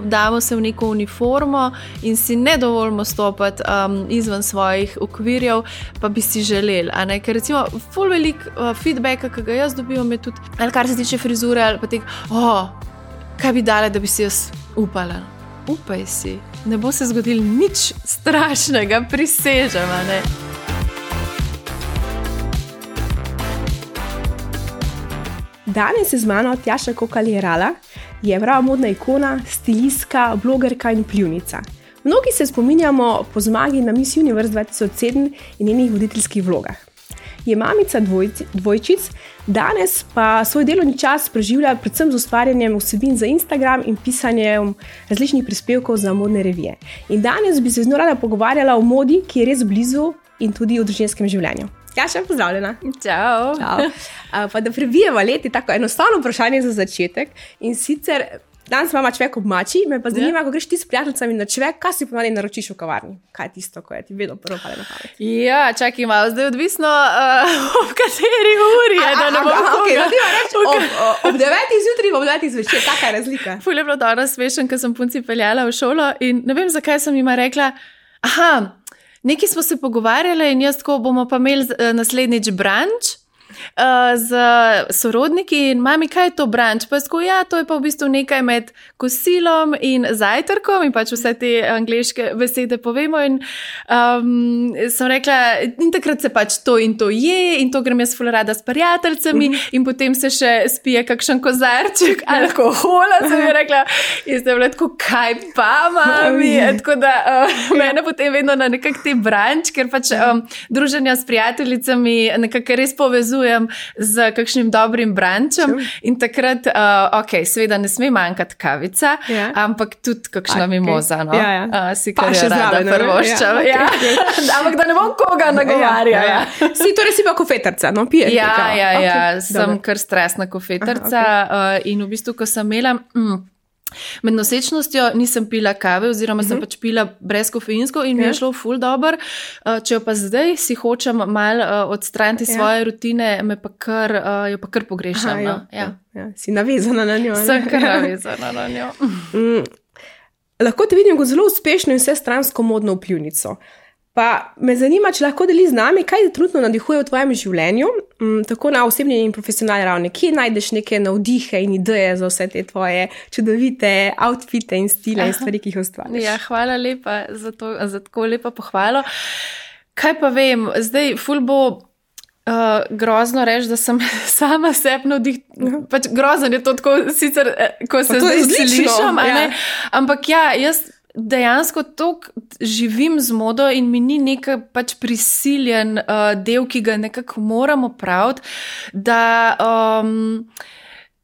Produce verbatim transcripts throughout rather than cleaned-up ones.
damo se v neko uniformo in si ne dovolimo stopiti um, izven svojih okvirjev, pa bi si želeli. A ne? Ker recimo ful velik uh, feedbacka, ki ga jaz dobivam, je tudi, ali kar se tiče frizure, ali pa tek, oh, kaj bi dale, da bi si jaz upala. Upaj si, ne bo se zgodilo nič strašnega, prisežem, a ne. Danes je z mano Tjaša Kokalj-Jerala, je prava modna ikona, stilistka, blogerka in vplivnica. Mnogi se spominjamo po zmagi na Miss Universe dva tisoč sedem in njenih voditeljskih vlogah. Je mamica dvojci, dvojčic, danes pa svoj delovni čas preživlja predvsem z ustvarjanjem vsebin za Instagram in pisanjem različnih prispevkov za modne revije. In danes bi se z njo rada pogovarjala o modi, ki je res blizu in tudi o družinskem življenju. Tjaša, pozdravljena. Čau. Čau. Pa da prebijeva leti, tako enostavno vprašanje za začetek. In sicer, danes imamo čvek ob mači, me pa zanima, ja. Ko greš ti s prijateljicami na čvek, kaj si ponavadi naročiš v kavarni? Kaj je tisto, ko je ti vedno prvo pade na pamet? Ja, čakaj malo, zdaj odvisno, uh, ob kateri uri je, da ne bom koga. Okay, reč, ob, ob devetih zjutraj, ob devetih zvečer, taka je razlika. Ful je bilo dobro smešen, ko sem punci peljala v šolo in ne vem, zakaj sem jima rekla, aha, nekaj smo se pogovarjali in jaz tako bomo pa imeli naslednjič brunch uh, z sorodniki in mami, kaj je to brunch? Pa tako, ja, to je pa v bistvu nekaj med kosilom in zajtrkom in pač vse te angleške besede povemo in um, sem rekla, in takrat se pač to in to je in to grem jaz ful rada s prijateljicami mm -hmm. in potem se še spije kakšen kozarček alkohola, sem je rekla, in zdaj bila tako, kaj pa, mami? Oh, tako da uh, mene potem vedno na nekak te brunch, ker pač um, druženja s prijateljicami nekako res povezujem z kakšnim dobrim brunchom in takrat, uh, ok, seveda ne sme manjkati kavica, ja. Ampak tudi kakšna okay. mimoza, no? Ja, ja. Uh, si kar je rada prvoščam. Ja, ja. Okay. Ampak da ne bom koga nagovarjala. Ja, ja. Si torej si pa kofetarca, no? Piješ? Ja, ja, ja, okay. ja. Sem Dobre. Kar stresna kofetarca. Aha, okay. uh, in v bistvu, ko sem imela... Mm, med nosečnostjo nisem pila kave oziroma sem uh -huh. pač pila brezkofeinsko in mi je šlo ful dober. Če jo pa zdaj si hočem malo odstraniti ja. Svoje rutine, me pa kar, jo pa kar pogrešam. Aha, no? ja. Ja. Ja. Si navezana na njo. Sem kar navezana na njo. mm, lahko te vidim kot zelo uspešno in vsestransko modno vplivnico. Pa me zanima, če lahko deli z nami, kaj te trenutno navdihuje v tvojem življenju, m, tako na osebni in profesionalni ravni. Kje najdeš neke navdihe in ideje za vse te tvoje čudovite outfite in stile in stvari, ki jih ustvarjaš? Ja, hvala lepa za, to, za tako lepo pohvalo. Kaj pa vem, zdaj ful bo uh, grozno reči, da sem sama sebi navdih. Uh-huh. Pač grozno je to tako, sicer, ko se zdaj slišam, ja. Ampak ja, jaz dejansko toliko živim z modo in mi ni nekaj pač prisiljen uh, del, ki ga nekako moramo praviti, da, um,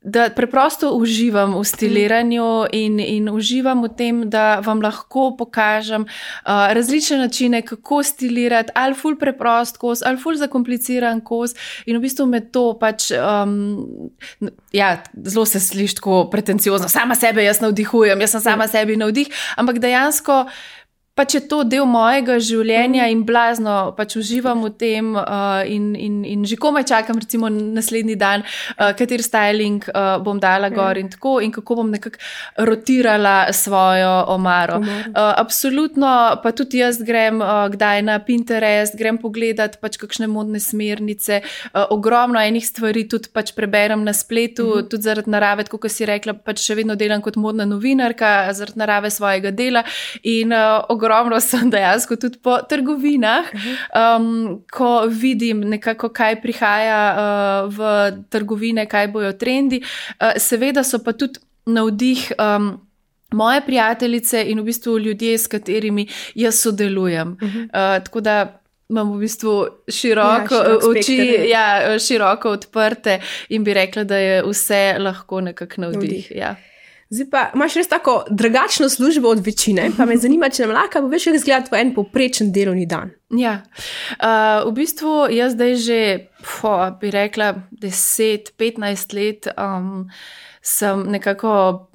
da preprosto uživam v stiliranju in, in uživam v tem, da vam lahko pokažem uh, različne načine, kako stilirati, ali ful preprost kos, ali ful zakompliciran kos in v bistvu me to pač, um, ja, zelo se sliši tako pretenciozno, sama sebe jaz navdihujem, jaz sem sama sebi navdih, ampak dejansko pač je to del mojega življenja in blazno pač uživam v tem uh, in, in, in že komaj čakam recimo naslednji dan, uh, kater styling uh, bom dala gor in tako in kako bom nekako rotirala svojo omaro. Uh, absolutno pa tudi jaz grem uh, kdaj na Pinterest, grem pogledat pač kakšne modne smernice, uh, ogromno enih stvari tudi pač preberem na spletu, uh -huh. tudi zaradi narave, tako kot si rekla, pač še vedno delam kot modna novinarka, zaradi narave svojega dela in uh, ogromno sem dejansko tudi po trgovinah, um, ko vidim nekako, kaj prihaja uh, v trgovine, kaj bojo trendi. Uh, seveda so pa tudi navdih um, moje prijateljice in v bistvu ljudje, s katerimi jaz sodelujem. Uh-huh. Uh, tako da imam v bistvu široko, ja, širok oči, ja, široko odprte in bi rekla, da je vse lahko nekako navdih. Ja. Zdaj pa imaš res tako drugačno službo od večine, pa me zanima, če nam lahko poveš, kako izgleda tvoj en povprečen delovni dan. Ja, uh, v bistvu jaz zdaj že, po, bi rekla, deset, petnajst let um, sem nekako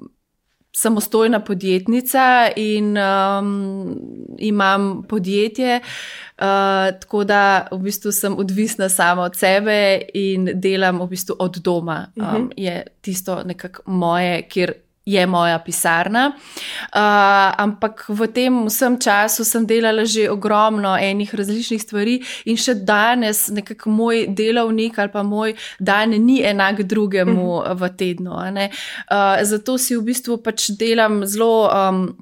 samostojna podjetnica in um, imam podjetje, uh, tako da v bistvu sem odvisna sama od sebe in delam v bistvu od doma. Um, uh-huh. Je tisto nekako moje, kjer je moja pisarna, uh, ampak v tem vsem času sem delala že ogromno enih različnih stvari in še danes nekako moj delovnik ali pa moj dan ni enak drugemu uh-huh. v tednu. Uh, zato si v bistvu pač delam zelo um,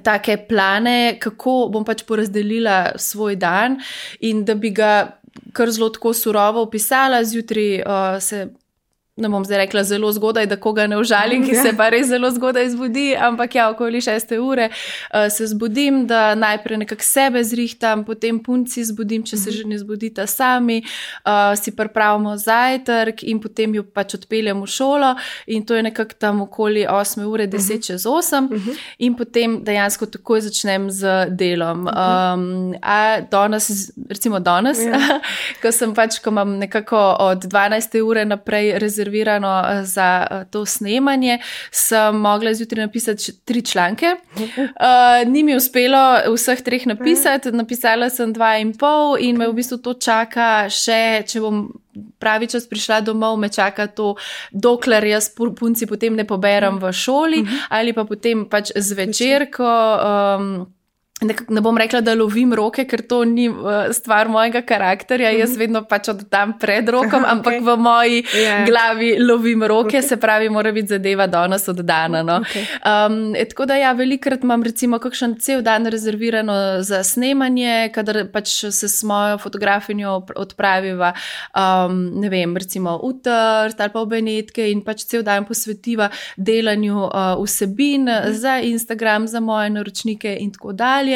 take plane, kako bom pač porazdelila svoj dan in da bi ga kar zelo tako surovo opisala, zjutraj uh, se ne bom zdaj rekla zelo zgodaj, da koga ne užalim, ki se pa res zelo zgodaj zbudi, ampak ja, okoli šeste ure uh, se zbudim, da najprej nekako sebe zrihtam, potem punci zbudim, če se že ne zbudita sami, uh, si pripravimo zajtrk in potem jo pač odpeljem v šolo in to je nekako tam okoli osme ure, deset čez osem in potem dejansko takoj začnem z delom. Um, a danes, recimo danes, ja. ko sem pač, ko imam nekako od dvanajste ure naprej rezervirano za to snemanje, sem mogla zjutraj napisati tri članke. Uh, ni mi uspelo vseh treh napisati, napisala sem dva in pol in me v bistvu to čaka še, če bom pravi čas prišla domov, me čaka to, dokler jaz punci potem ne poberem v šoli ali pa potem pač zvečer, ko um, ne bom rekla, da lovim roke, ker to ni stvar mojega karakterja, jaz vedno pač oddam pred rokom, Aha, ampak okay. v moji yeah. glavi lovim roke, okay. se pravi, mora biti zadeva danes oddana. No. Okay. Um, tako da ja, velikrat imam recimo kakšen cel dan rezervirano za snemanje, kadar pač se s mojo fotografinjo odpraviva, um, ne vem, recimo v Trst ali pa v Benetke in pač cel dan posvetiva delanju uh, vsebin mm. za Instagram, za moje naročnike in tako dalje.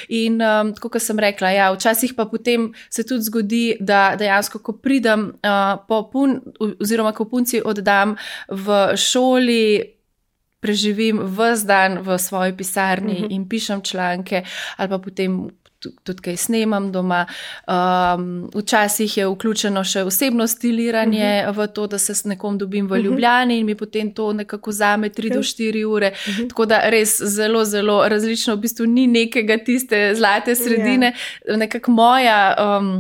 In um, tako, kot sem rekla, ja, včasih pa potem se tudi zgodi, da dejansko, ko pridem uh, po pun, oziroma ko punci oddam v šoli, preživim ves dan v svoji pisarni uh-huh. in pišem članke ali pa potem tudi kaj snemam doma. Um, včasih je vključeno še osebno stiliranje uh-huh. v to, da se s nekom dobim v Ljubljani uh-huh. in mi potem to nekako zame tri do štiri ure. Uh-huh. Tako da res zelo, zelo različno, v bistvu ni nekega tiste zlate sredine. Yeah. Nekako moja um,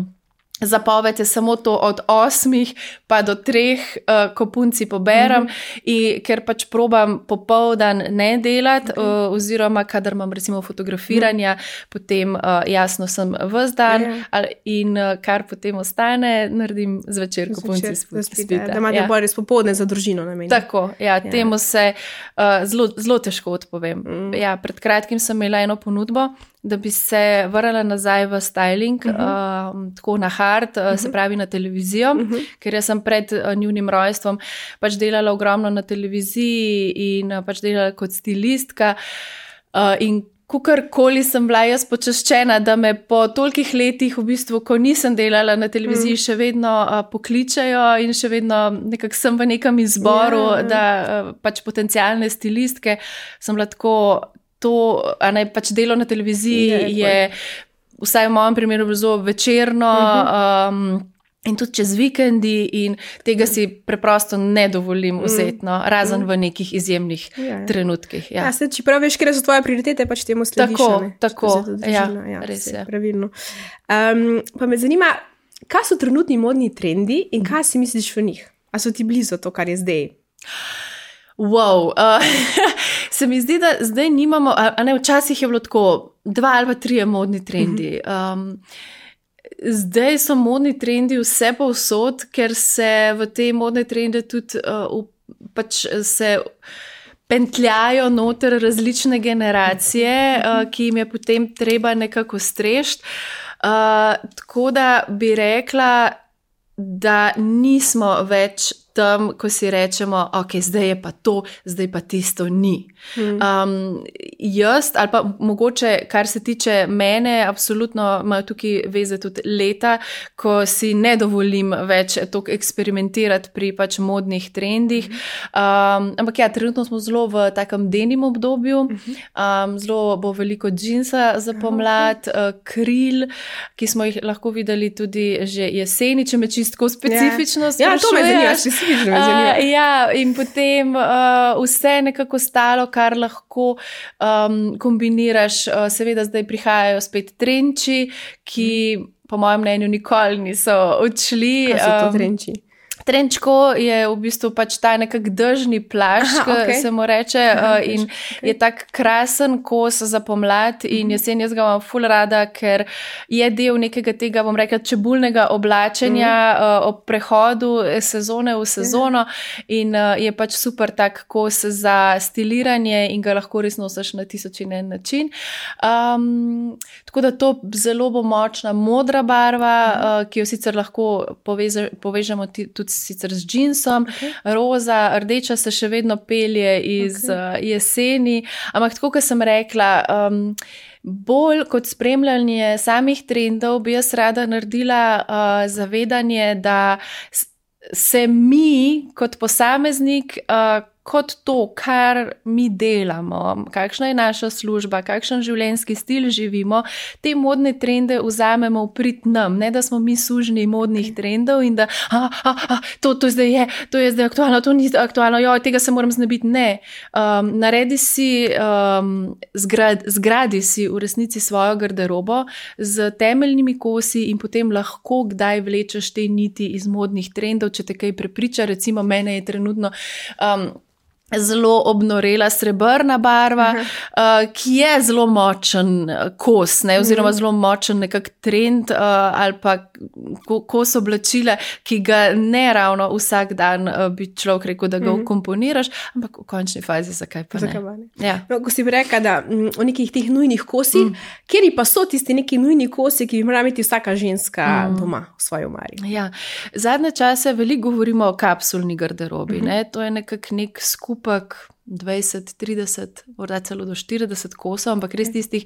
zapoved je samo to od osmih pa do treh, uh, ko punci poberem, mm-hmm. in ker pač probam popoldan ne delati, okay. uh, oziroma kadar imam recimo fotografiranja, mm-hmm. potem uh, jasno sem ves dan yeah. in uh, kar potem ostane, naredim zvečer, ko punci spita. Da imate ja. bolj res popoldne za družino namenjeno. Tako, ja, ja. temu se uh, zelo, zelo težko odpovem. Mm. Ja, pred kratkim sem imela eno ponudbo, da bi se vrala nazaj v styling, uh-huh. uh, tako na hard, uh, uh-huh. se pravi na televizijo, uh-huh. ker jaz sem pred uh, njunim rojstvom pač delala ogromno na televiziji in uh, pač delala kot stilistka uh, in kakorkoli sem bila jaz počaščena, da me po tolikih letih, v bistvu, ko nisem delala na televiziji, mm. še vedno uh, pokličajo in še vedno nekako sem v nekem izboru, yeah. da uh, pač potencialne stilistke sem bila tako. To, a ne, pač delo na televiziji je, je vsaj v mojem primeru zelo večerno uh-huh. um, in tudi čez vikendi in tega si preprosto ne dovolim vzeti, no, razen uh-huh. v nekih izjemnih ja, trenutkih. Ja, ja se, če prav veš, kje so tvoje prioritete, pač temu slediš. Tako, ne? tako, ja, ja, res je. Pravilno. Um, pa me zanima, kaj so trenutni modni trendi in kaj si misliš v njih? A so ti blizu to, kar je zdaj? Wow, uh, se mi zdi, da zdaj nimamo, a, a ne, včasih je bilo tako, dva ali pa trije modni trendi. Um, zdaj so modni trendi vse povsod, ker se v te modne trende tudi uh, pač se pentljajo noter različne generacije, uh, ki jim je potem treba nekako strešti. Uh, tako da bi rekla, da nismo več tam, ko si rečemo, ok, zdaj je pa to, zdaj pa tisto ni. Hmm. Um, jaz, ali pa mogoče, kar se tiče mene, absolutno imajo tukaj veze tudi leta, ko si ne dovolim več toliko eksperimentirati pri pač modnih trendih. Um, ampak ja, trenutno smo zelo v takem denim obdobju, um, zelo bo veliko džinsa za pomlad, uh, kril, ki smo jih lahko videli tudi že jeseni, če me čistko specifično sprašuješ. Ja, to me zanima, Uh, ja, in potem uh, vse nekako stalo, kar lahko um, kombiniraš. Uh, seveda zdaj prihajajo spet trenči, ki po mojem mnenju nikoli niso odšli. Kaj so to trenči? Um, Trenčko je v bistvu pač ta nekak držni plašč, ki okay. se mu reče, Aha, in okay. je tak krasen kos za pomlad in jesen jaz ga imam ful rada, ker je del nekega tega, bom rekla, čebulnega oblačenja mm. ob prehodu sezone v sezono in je pač super tak kos za stiliranje in ga lahko res nosiš na tisoč in en način. Um, tako da to zelo bo močna modra barva, mm. uh, ki jo sicer lahko poveze, povežemo tudi sicer z džinsom, okay. roza, rdeča se še vedno pelje iz okay. uh, jeseni, ampak tako, kot sem rekla, um, bolj kot spremljanje samih trendov bi jaz rada naredila uh, zavedanje, da se mi kot posameznik uh, kot to, kar mi delamo, kakšna je naša služba, kakšen življenjski stil živimo, te modne trende vzamemo v prid nam, ne da smo mi sužnji modnih trendov in da a, a, a, to, to zdaj je, to je zdaj aktualno, to ni aktualno, jo, tega se moram znebiti. Ne. Um, naredi si, um, zgrad, zgradi si v resnici svojo garderobo z temeljnimi kosi in potem lahko kdaj vlečeš te niti iz modnih trendov, če te kaj prepriča. Recimo mene je trenutno um, zelo obnorela srebrna barva, uh, ki je zelo močen kos, ne, oziroma zelo močen nekak trend uh, ali pa kos oblačila, ki ga ne ravno vsak dan uh, bi človek rekel, da ga mm-hmm. ukomponiraš, ampak v končni fazi zakaj pa ne. ne? Ja. No, ko si bi rekla, da m, o nekih teh nujnih kosih, mm. kjeri pa so tisti neki nujni kosi, ki bi morala imeti vsaka ženska mm. doma v svoji omari? Ja. Zadnje čase veliko govorimo o kapsulni garderobi, mm-hmm. ne? To je nekak nek skup dvajset, trideset, morda celo do štirideset kosov, ampak res tistih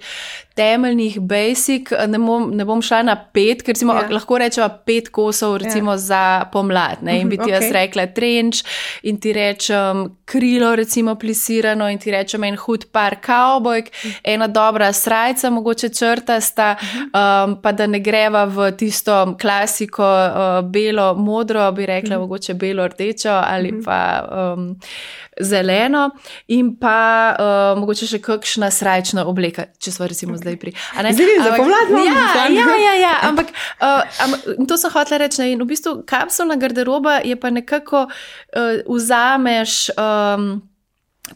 temeljnih basic, ne bom, ne bom šla na pet, ker recimo, yeah. lahko rečeva pet kosov recimo yeah. za pomlad, ne, in bi ti okay. jaz rekla trenč in ti rečem krilo recimo plisirano in ti rečem en hud par kavbojk, ena dobra srajca, mogoče črtasta, um, pa da ne greva v tisto klasiko uh, belo, modro, bi rekla mm. mogoče belo, rdečo ali mm. pa um, zeleno in pa uh, mogoče še kakšna srajčna obleka, če smo recimo okay. zdaj pri. Zdaj za pomlad ja, ja, ja, ja, ampak uh, am, to sem hotela reči, ne, in v bistvu kapsulna garderoba je pa nekako uh, vzameš um,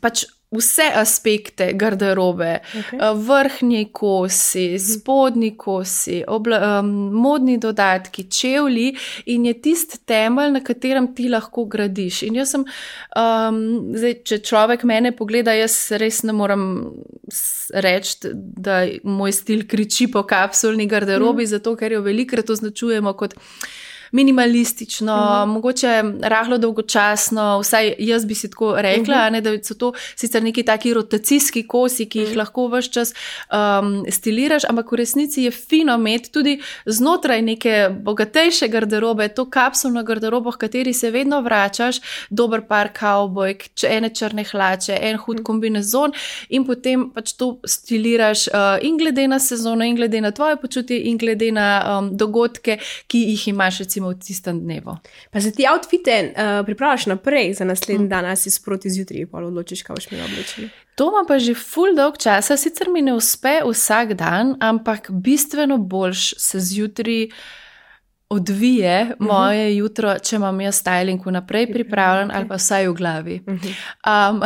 pač vse aspekte garderobe, okay. vrhnji kosi, spodnji kosi, obla, um, modni dodatki, čevlji in je tist temelj, na katerem ti lahko gradiš. In jaz sem, um, zdaj, če človek mene pogleda, jaz res ne moram reči, da moj stil kriči po kapsulni garderobi, mm. zato ker jo velikrat označujemo kot minimalistično, mm-hmm. mogoče rahlo dolgočasno, vsaj jaz bi si tako rekla, mm-hmm. ne, da so to sicer neki taki rotacijski kosi, ki jih mm-hmm. lahko ves čas um, stiliraš, ampak v resnici je fino imeti tudi znotraj neke bogatejše garderobe, to kapsulno garderobo, v kateri se vedno vračaš, dober par kavbojk, ene črne hlače, en hud mm-hmm. kombinezon in potem pač to stiliraš uh, in glede na sezono, in glede na tvoje počutje, in glede na um, dogodke, ki jih imaš recimo v tistem dnevu. Pa se ti outfite uh, pripravljaš naprej za naslednji mm. dan, ali si sproti zjutraj, pa odločiš, kaj boš imela oblečeno? To ima pa že ful dolg časa, sicer mi ne uspe vsak dan, ampak bistveno boljš se zjutraj odvije uh-huh. moje jutro, če imam jaz styling vnaprej pripravljen okay. ali pa vsaj v glavi. Uh-huh. Um,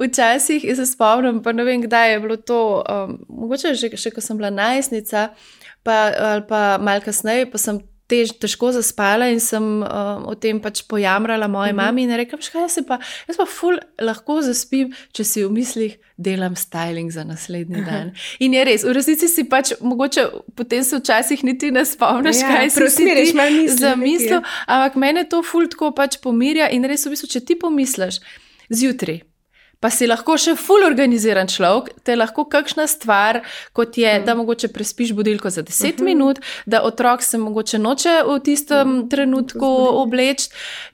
včasih se spomnim, pa ne vem, kdaj je bilo to, um, mogoče že, še ko sem bila najstnica, pa, ali pa malo kasneje, pa sem tež, težko zaspala in sem uh, o tem pač pojamrala moji uh-huh. mami in rekla, kaj jaz pa, jaz pa ful lahko zaspim, če si v mislih delam styling za naslednji uh-huh. dan. In je res, v resnici si pač, mogoče potem se včasih niti ne spomniš, ja, kaj si si ti zamislil, ampak mene to ful tako pač pomirja in res v bistvu, če ti pomisliš zjutraj, pa si lahko še ful organiziran človek, te lahko kakšna stvar, kot je, mm. da mogoče prespiš budilko za deset uh-huh. minut, da otrok se mogoče noče v tistem mm. trenutku obleči,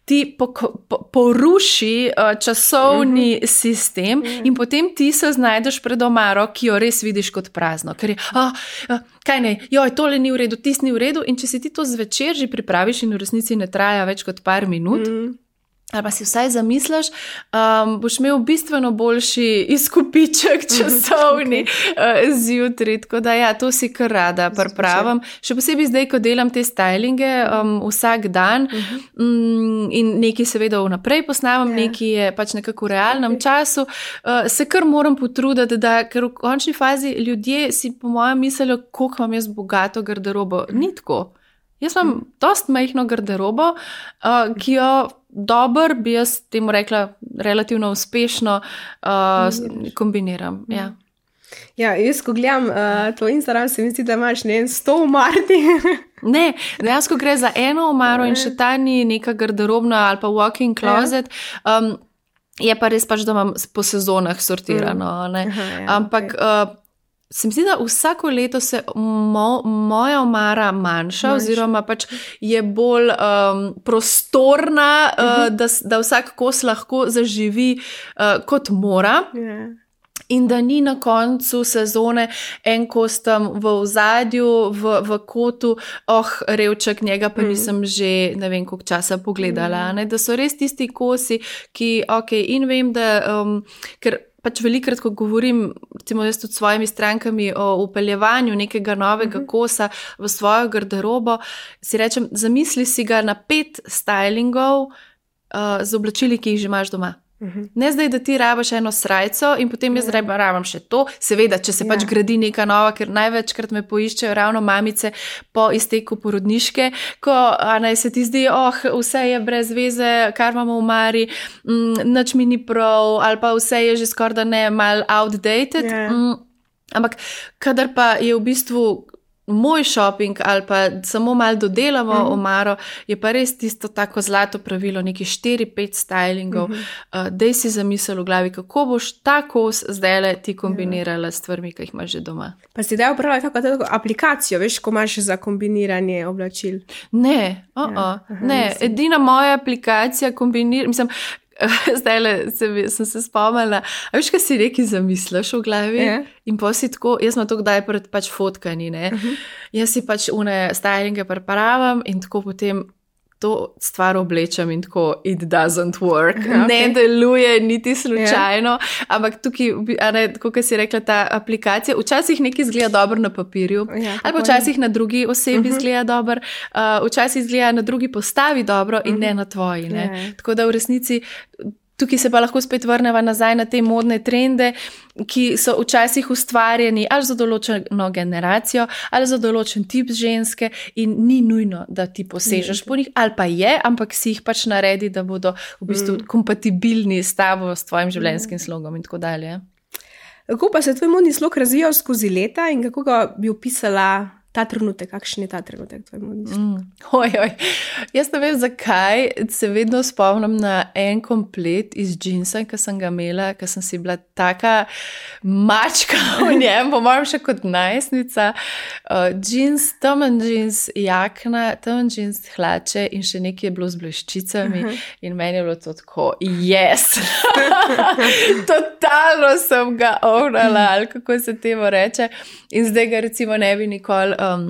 ti po, po, poruši uh, časovni uh-huh. sistem uh-huh. in potem ti se znajdeš pred omaro, ki jo res vidiš kot prazno. Ker je, ah, ah, kaj ne, joj, tole ni v redu, tis ni v redu in če si ti to zvečer že pripraviš in v resnici ne traja več kot par minut, uh-huh. ali pa si vsaj zamisliš, um, boš imel bistveno boljši izkupiček časovni okay. uh, zjutraj. Tako da ja, to si kar rada pripravim. Še posebej zdaj, ko delam te stylinge um, vsak dan uh-huh. um, in nekaj seveda vnaprej posnamem, yeah. nekaj je pač nekako v realnem okay. času, uh, se kar moram potruditi, da ker v končni fazi ljudje si po mojem mislijo, koliko imam jaz bogato garderobo. Ni tako. Jaz imam mm. dost majhno garderobo, uh, ki jo dober, bi jaz temu rekla, relativno uspešno uh, kombiniram. Mm. Ja. Ja, jaz, ko gledam uh, tvoj Instagram, se mi zdi, da imaš ne sto omarti. Ne, dejansko gre za eno omaro in še ta ni neka garderobna ali pa walk-in closet. Um, je pa res pač, da imam po sezonah sortirano. Mm. Aha, ja, Ampak... Okay. Uh, Se mi zdi, da vsako leto se mo, moja omara manjša, manjša oziroma pač je bolj um, prostorna, uh, uh-huh. da, da vsak kos lahko zaživi uh, kot mora. Yeah. In da ni na koncu sezone en kos tam v ozadju, v, v kotu, oh, revček, njega pa mm. nisem že ne vem koliko časa pogledala. Mm. Ne? Da so res tisti kosi, ki, ok, in vem, da, um, ker pač velikrat, ko govorim, recimo jaz tudi s svojimi strankami o upeljevanju nekega novega uh-huh. kosa v svojo garderobo, si rečem, zamisli si ga na pet stylingov uh, z oblačili, ki jih že imaš doma. Uh-huh. Ne zdaj, da ti rabaš eno srajco in potem jaz yeah. rabam še to. Seveda, če se yeah. pač gradi neka nova, ker največkrat me poiščejo ravno mamice po izteku porodniške, ko naj se ti zdi, oh, vse je brez veze, kar imamo v mari, mm, nič mi ni prav, ali pa vse je že skoraj da ne mal outdated. Yeah. Mm, ampak kadar pa je v bistvu moj shopping ali pa samo malo dodelamo uh-huh. omaro, je pa res tisto tako zlato pravilo, neki štiri pet stylingov. Uh-huh. Uh, dej si zamisel v glavi, kako boš ta kos zdajle ti kombinirala s stvarmi, ki jih imaš že doma. Pa si daj upravljati tako, tako aplikacijo, veš, ko imaš za kombiniranje oblačil? Ne, uh-uh. ja. Aha, ne. Edina moja aplikacija kombinira, mislim, zdaj le sem se spomnila, a veš, kaj si neki zamisliš v glavi yeah. in pa si tako, jaz sem to kdaj pred pač fotkani, ne, uh-huh. jaz si pač une stylinge pripravam in tako potem to stvar oblečem in tako it doesn't work, okay. ne deluje niti slučajno, yeah. ampak tukaj, a ne, tako kot si rekla, ta aplikacija, včasih nekaj izgleda dobro na papirju, yeah, ali pa včasih na drugi osebi uh-huh. izgleda dobro, uh, včasih izgleda na drugi postavi dobro in uh-huh. ne na tvoji, ne. Yeah. Tako da v resnici tukaj se pa lahko spet vrneva nazaj na te modne trende, ki so včasih ustvarjeni ali za določeno generacijo, ali za določen tip ženske in ni nujno, da ti posežeš mm. po njih, ali pa je, ampak si jih pač naredi, da bodo v bistvu mm. kompatibilni s tabo, s tvojim življenjskim slogom in tako dalje. Kako pa se tvoj modni slog razvijal skozi leta in kako ga bi opisala ta trenutek, kakšen je ta trenutek tvoj modni slog? Mm. Oj, oj. Jaz ne vem, zakaj se vedno spomnim na en komplet iz džinsa, ki sem ga imela, ki sem si bila taka mačka v njem, po mojem še kot najstnica. Uh, džins, temen džins, jakna, temen džins, hlače in še nekaj je bilo z bleščicami uh-huh. in meni je bilo to tako, yes! Totalno sem ga ognala, ali kako se temu reče. In zdaj ga recimo ne bi nikoli Um,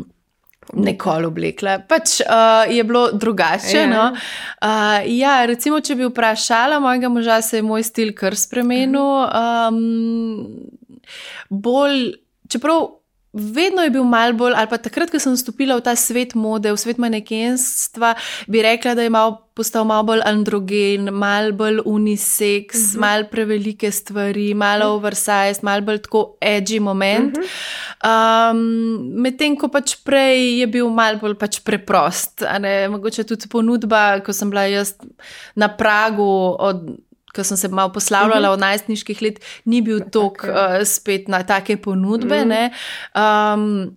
nekoli oblekla. Pač uh, je bilo drugače, ja. no. Uh, ja, recimo, če bi vprašala mojega moža, se je moj stil kar spremenil. Um, bolj, čeprav vedno je bil mal bolj, ali pa takrat, ko sem vstopila v ta svet mode, v svet manekenstva, bi rekla, da je mal, postal malo bolj androgen, malo bolj unisex, uh-huh. malo prevelike stvari, malo uh-huh. oversized, malo bolj tako edgy moment. Uh-huh. Um, medtem, ko pač prej je bil malo bolj pač preprost. A ne, mogoče tudi ponudba, ko sem bila jaz na pragu od ko sem se malo poslavljala uh-huh. od najstniških let, ni bil tok uh, spet na take ponudbe. Uh-huh. Ne. Um,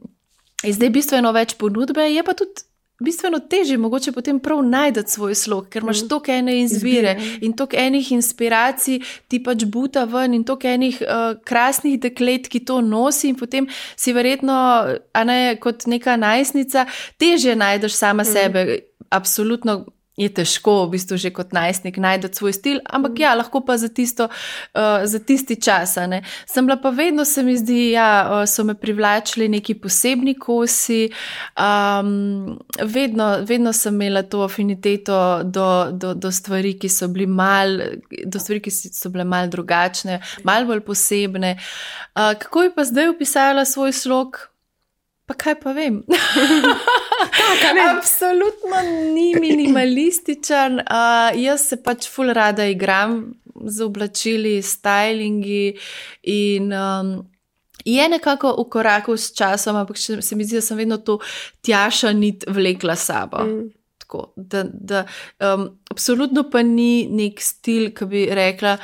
zdaj bistveno več ponudbe, je pa tudi bistveno težje mogoče potem prav najdeti svoj slog, ker imaš toliko ene izbire in toliko enih inspiracij ti pač buta ven in toliko enih uh, krasnih deklet, ki to nosi in potem si verjetno, a ne, kot neka najstnica, težje najdeš sama mm. sebe. Absolutno je težko v bistvu že kot najstnik najti svoj stil, ampak ja, lahko pa za, tisto, uh, za tisti čas. Ne. Sem bila pa vedno, se mi zdi, ja, so me privlačili neki posebni kosi, um, vedno, vedno sem imela to afiniteto do, do, do stvari, ki so bili mal, do stvari, ki so bile mal drugačne, mal bolj posebne. Uh, kako bi pa zdaj opisala svoj slog? Pa kaj pa vem? Tak, absolutno ni minimalističen. Uh, jaz se pač ful rada igram z oblačili, stylingi in um, je nekako v koraku s časom, ampak se mi zdi, da sem vedno to Tjaša nit vlekla sabo. Mm. Da, da, um, absolutno pa ni nek stil, ki bi rekla,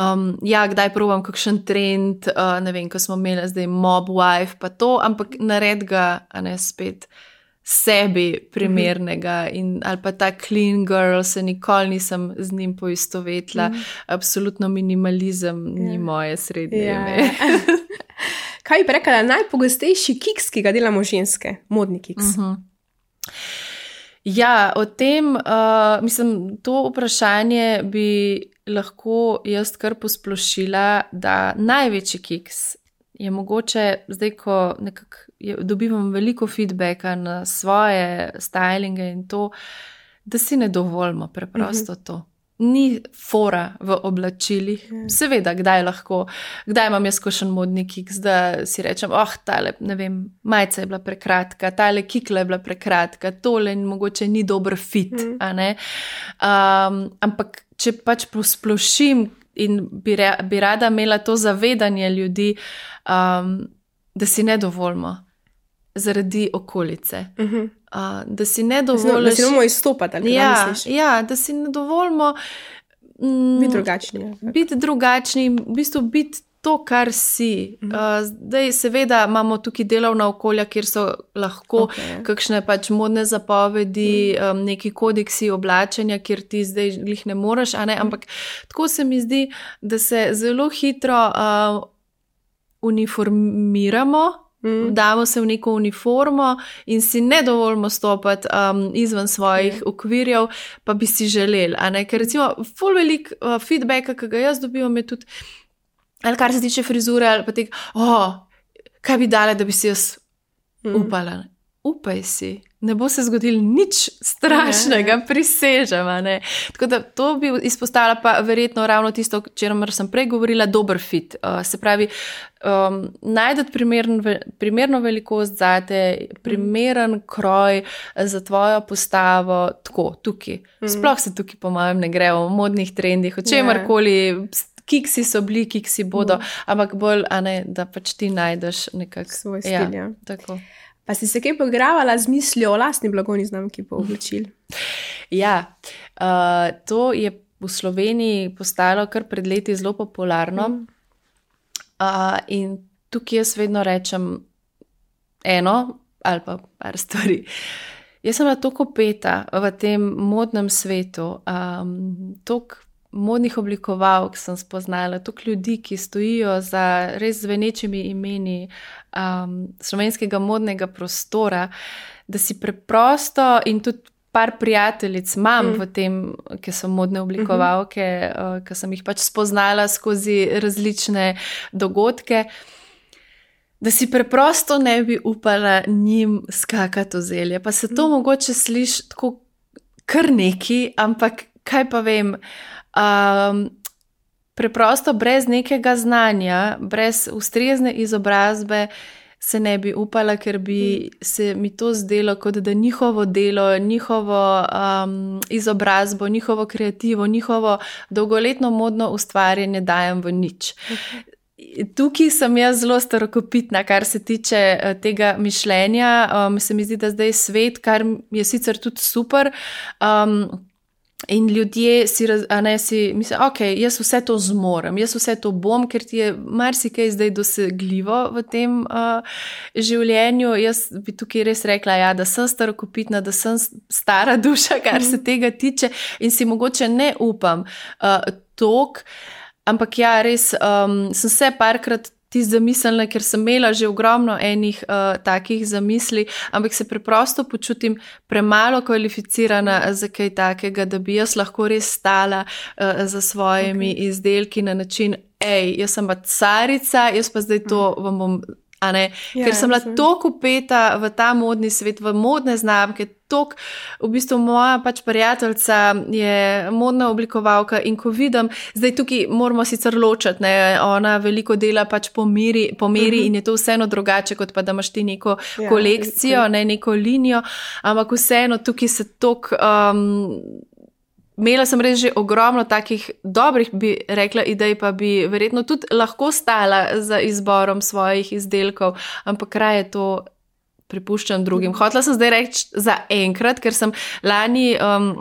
um, ja, kdaj probam kakšen trend, uh, ne vem, ko smo imeli zdaj mob wife pa to, ampak nared ga, a ne spet, sebi primernega in, ali pa ta clean girl, se nikoli nisem z njim poistovetila, mm. absolutno minimalizem yeah. ni moje srednje ime. Yeah. Kaj bi rekla, najpogostejši kiks, ki ga delamo ženske, modni kiks? Uh-huh. Ja, o tem, uh, mislim, to vprašanje bi lahko jaz kar posplošila, da največji kiks je mogoče, zdaj, ko nekako je, dobivam veliko feedbacka na svoje stylinge in to, da si ne dovolimo preprosto mm-hmm. to. Ni fora v oblačilih. Yeah. Seveda, kdaj lahko, kdaj imam jaz kakšen modni kiks, da si rečem, oh, tale, ne vem, majica je bila prekratka, tale kikla je bila prekratka, tole mogoče ni dober fit, mm. a ne? Um, ampak, če pač posplošim in bi, re, bi rada imela to zavedanje ljudi, um, da si ne dovolimo zaradi okolice. Mm-hmm. Uh, da si ne dovolimo. Da si ne bomo izstopati, ali ja, kaj misliš? Ja, da si ne dovolimo mm, biti drugačni. Ja. Biti drugačni, v bistvu biti to, kar si. Mm. Uh, zdaj, seveda, imamo tukaj delovna okolja, kjer so lahko okay. kakšne pač modne zapovedi, mm. um, neki kodeksi oblačenja, kjer ti zdaj glih ne moreš, a ne? Mm. Ampak tako se mi zdi, da se zelo hitro uh, uniformiramo, Mm. damo se v neko uniformo in si ne dovolimo stopati um, izven svojih mm. okvirjev, pa bi si želeli. Ker recimo ful velik uh, feedbacka, ki ga jaz dobivam, je tudi, ali kar se tiče frizure, ali pa tega, oh, kaj bi dale, da bi si jaz mm. upala. Upaj si. Ne bo se zgodilo nič strašnega, ne. Prisežem. Ne? Tako da to bi izpostavila pa verjetno ravno tisto, o čemer sem prej govorila, dober fit. Uh, se pravi, um, najdete primern, primerno velikost zate, primeren kroj za tvojo postavo, tako, tukaj. Mm. Sploh se tukaj po mojem ne gre o modnih trendih, o čemarkoli, kiksi so bili, kiksi bodo, mm. ampak bolj, a ne, da pač ti najdeš nekak svoj stil. Ja, tako. Pa si se kaj poigravala z mislijo o lastni blagovni znamki po oblačil? Ja, uh, to je v Sloveniji postalo kar pred leti zelo popularno. Mm. Uh, in tukaj jaz vedno rečem eno ali pa par stvari. Jaz sem bila toliko peta v tem modnem svetu, um, toliko modnih oblikovalk sem spoznala, toliko ljudi, ki stojijo za res zvenečimi imeni um, slovenskega modnega prostora, da si preprosto in tudi par prijateljic imam mm. v tem, ki so modne oblikovalke, mm-hmm. uh, ki sem jih pač spoznala skozi različne dogodke, da si preprosto ne bi upala njim skakati v zelje. Pa se to mm. mogoče sliši tako kar neki, ampak kaj pa vem, Um, preprosto brez nekega znanja, brez ustrezne izobrazbe se ne bi upala, ker bi se mi to zdelo, kot da njihovo delo, njihovo um, izobrazbo, njihovo kreativo, njihovo dolgoletno modno ustvarjanje dajem v nič. Tukaj sem jaz zelo starokopitna, kar se tiče uh, tega mišljenja. Um, se mi zdi, da zdaj svet, kar je sicer tudi super, um, in ljudje si, a ne, si mislijo, ok, jaz vse to zmorem, jaz vse to bom, ker ti je marsikaj zdaj dosegljivo v tem uh, življenju. Jaz bi tukaj res rekla, ja, da sem starokopitna, da sem stara duša, kar se tega tiče in si mogoče ne upam uh, tok, ampak ja, res um, sem se parkrat ti zamislila, ker sem imela že ogromno enih uh, takih zamisli, ampak se preprosto počutim premalo kvalificirana za kaj takega, da bi jaz lahko res stala uh, za svojimi okay. izdelki na način, ej, jaz sem pa carica, jaz pa zdaj to vam bom, a ne, ja, ker sem bila toliko upeta v ta modni svet, v modne znamke, toliko, v bistvu moja pač prijateljica je modna oblikovalka in ko vidim, zdaj tukaj moramo sicer ločati, ne, ona veliko dela pač po meri, po meri uh-huh. in je to vseeno drugače, kot pa da imaš ti neko ja, kolekcijo, ne, neko linijo, ampak vseeno tukaj se toliko... Um, Imela sem res že ogromno takih dobrih, bi rekla, idej, pa bi verjetno tudi lahko stala za izborom svojih izdelkov, ampak raje to prepuščam drugim. Hotela sem zdaj reči za enkrat, ker sem lani um,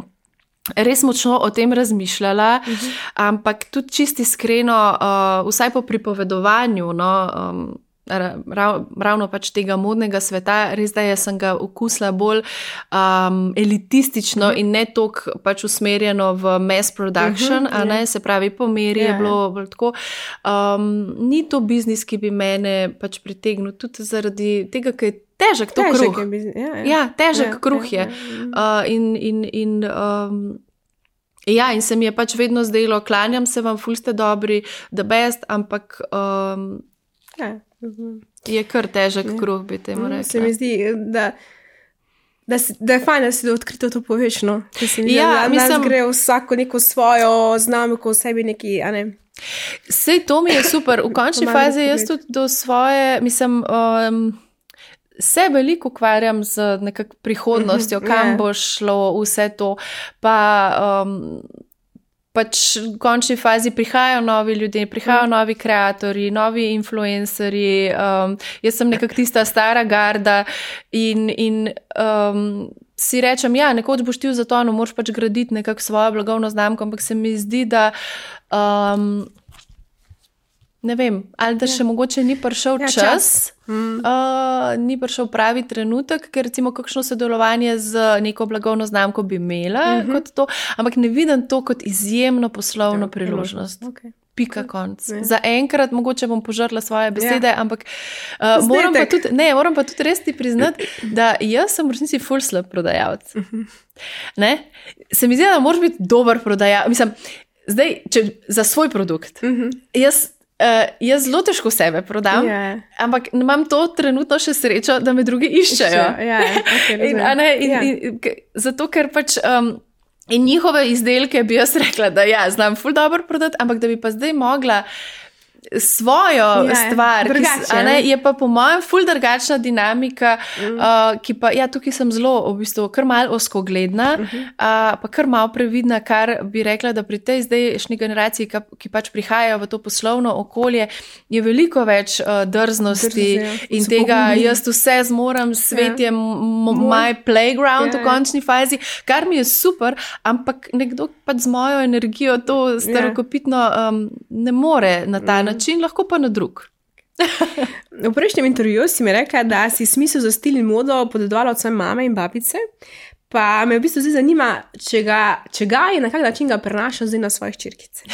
res močno o tem razmišljala, uh-huh. ampak tudi čisti iskreno, uh, vsaj po pripovedovanju, no, um, Rav, ravno pač tega modnega sveta, res da sem ga okusila bolj um, elitistično uh-huh. in ne toliko pač usmerjeno v mass production, uh-huh, a ne, yeah. se pravi, po meri yeah. je bilo bolj tako. Um, ni to biznis, ki bi mene pač pritegnil, tudi zaradi tega, ker je težek to težek kruh. Je biznis, ja, ja. ja, težek ja, kruh ja, je. ja. Uh, in in, in um, ja, in se mi je pač vedno zdelo, klanjam se vam, ful ste dobri, the best, ampak um, ja. je kar težek kruh, bi temu rekla. Se mi zdi, da, da, si, da je fajn, da si da odkrito to poveš, no. Se mi zdi, ja, da mislim, nas gre vsako neko svojo znamko, v sebi neki, a ne. Sej to mi je super. V končni fazi jaz tudi do svoje, mislim, um, se veliko ukvarjam z nekak prihodnostjo, kam yeah. bo šlo vse to, pa... Um, pač v končni fazi prihajajo novi ljudje, prihajajo mm. novi kreatorji, novi influencerji, um, jaz sem nekak tista stara garda in, in um, si rečem, ja, nekoč boš ti v zatonu, moraš pač graditi nekak svojo blagovno znamko, ampak se mi zdi, da um, ne vem, ali da še ja. mogoče ni prišel ja, čas, čas. Mm. Uh, ni prišel pravi trenutek, ker recimo kakšno sodelovanje z neko blagovno znamko bi imela mm-hmm. kot to, ampak ne vidim to kot izjemno poslovno ja, priložnost. Okay. Pika konc. Ja. Za enkrat mogoče bom požrla svoje besede, ja. ampak uh, moram, pa tudi, ne, moram pa tudi res ti priznati, da jaz sem v resnici ful slab prodajalec. Mm-hmm. Ne? Se mi zdi, da moraš biti dober prodajalec. Mislim, zdaj, če, za svoj produkt. Mm-hmm. Jaz Uh, jaz zelo težko sebe prodam, yeah. ampak imam to trenutno še srečo, da me drugi iščejo. Yeah, okay, in, ne, in, yeah. in, in, zato, ker pač um, in njihove izdelke bi jaz rekla, da ja, znam ful dobro prodati, ampak da bi pa zdaj mogla svojo yeah, stvar, drugače, ki, a ne, je pa po mojem ful drugačna dinamika, mm. uh, ki pa, ja, tukaj sem zelo v bistvu kar malo oskogledna, mm-hmm. uh, pa kar malo previdna, kar bi rekla, da pri tej zdajšnji generaciji, ki, ki pač prihajajo v to poslovno okolje, je veliko več uh, drznosti Drzi, in tega pogumni. Jaz vse zmorem, svet yeah. je m- my playground yeah. v končni fazi, kar mi je super, ampak nekdo pač z mojo energijo to starokopitno um, ne more na ta način. Način, lahko pa na drug. V prejšnjem intervjuju si mi rekla, da si smisel za stil in modo podedovala od svoje mame in babice, pa me v bistvu zdaj zanima, če ga, če ga je na kak način ga prenašal zdaj na svoje hčerkice.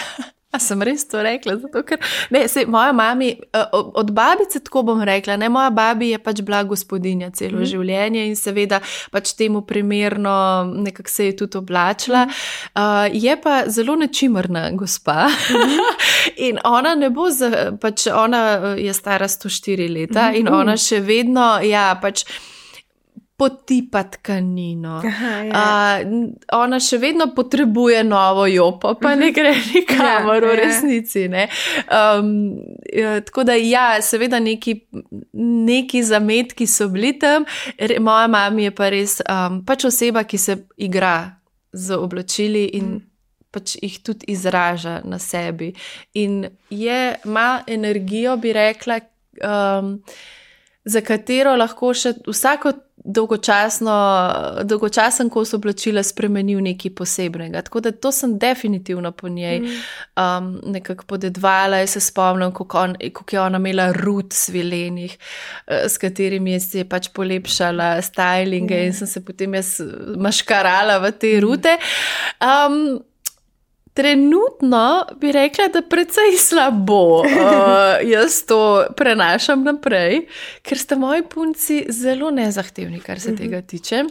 A sem res to rekla, zato ker, ne, sej, moja mami, od babice tako bom rekla, ne, moja babi je pač bila gospodinja celo mm. življenje in seveda pač temu primerno nekako se je tudi oblačila. Mm. Uh, je pa zelo nečimrna gospa mm. in ona ne bo, za, pač ona je stara sto štiri leta mm. in ona še vedno, ja, pač potipa tkanino. Aha, ja. uh, ona še vedno potrebuje novo jopo, pa ne gre nikamor ja, v resnici. Ne? Um, ja, tako da ja, seveda neki, neki zametki so bili tam. Re, moja mama je pa res um, pač oseba, ki se igra z oblačili in mm. pač jih tudi izraža na sebi. In je, ima energijo, bi rekla, um, za katero lahko še vsako dolgočasno, dolgočasen kos oblačila spremenil nekaj posebnega. Tako da to sem definitivno po njej mm. um, nekako podedvala. Jaz se spomnim, kako, on, kako je ona imela rut svilenih, uh, s katerimi si je pač polepšala stylinge mm. in sem se potem jaz maškarala v te rute. Um, Trenutno bi rekla, da precej slabo uh, jaz to prenašam naprej, ker sta moji punci zelo nezahtevni, kar se tega tiče.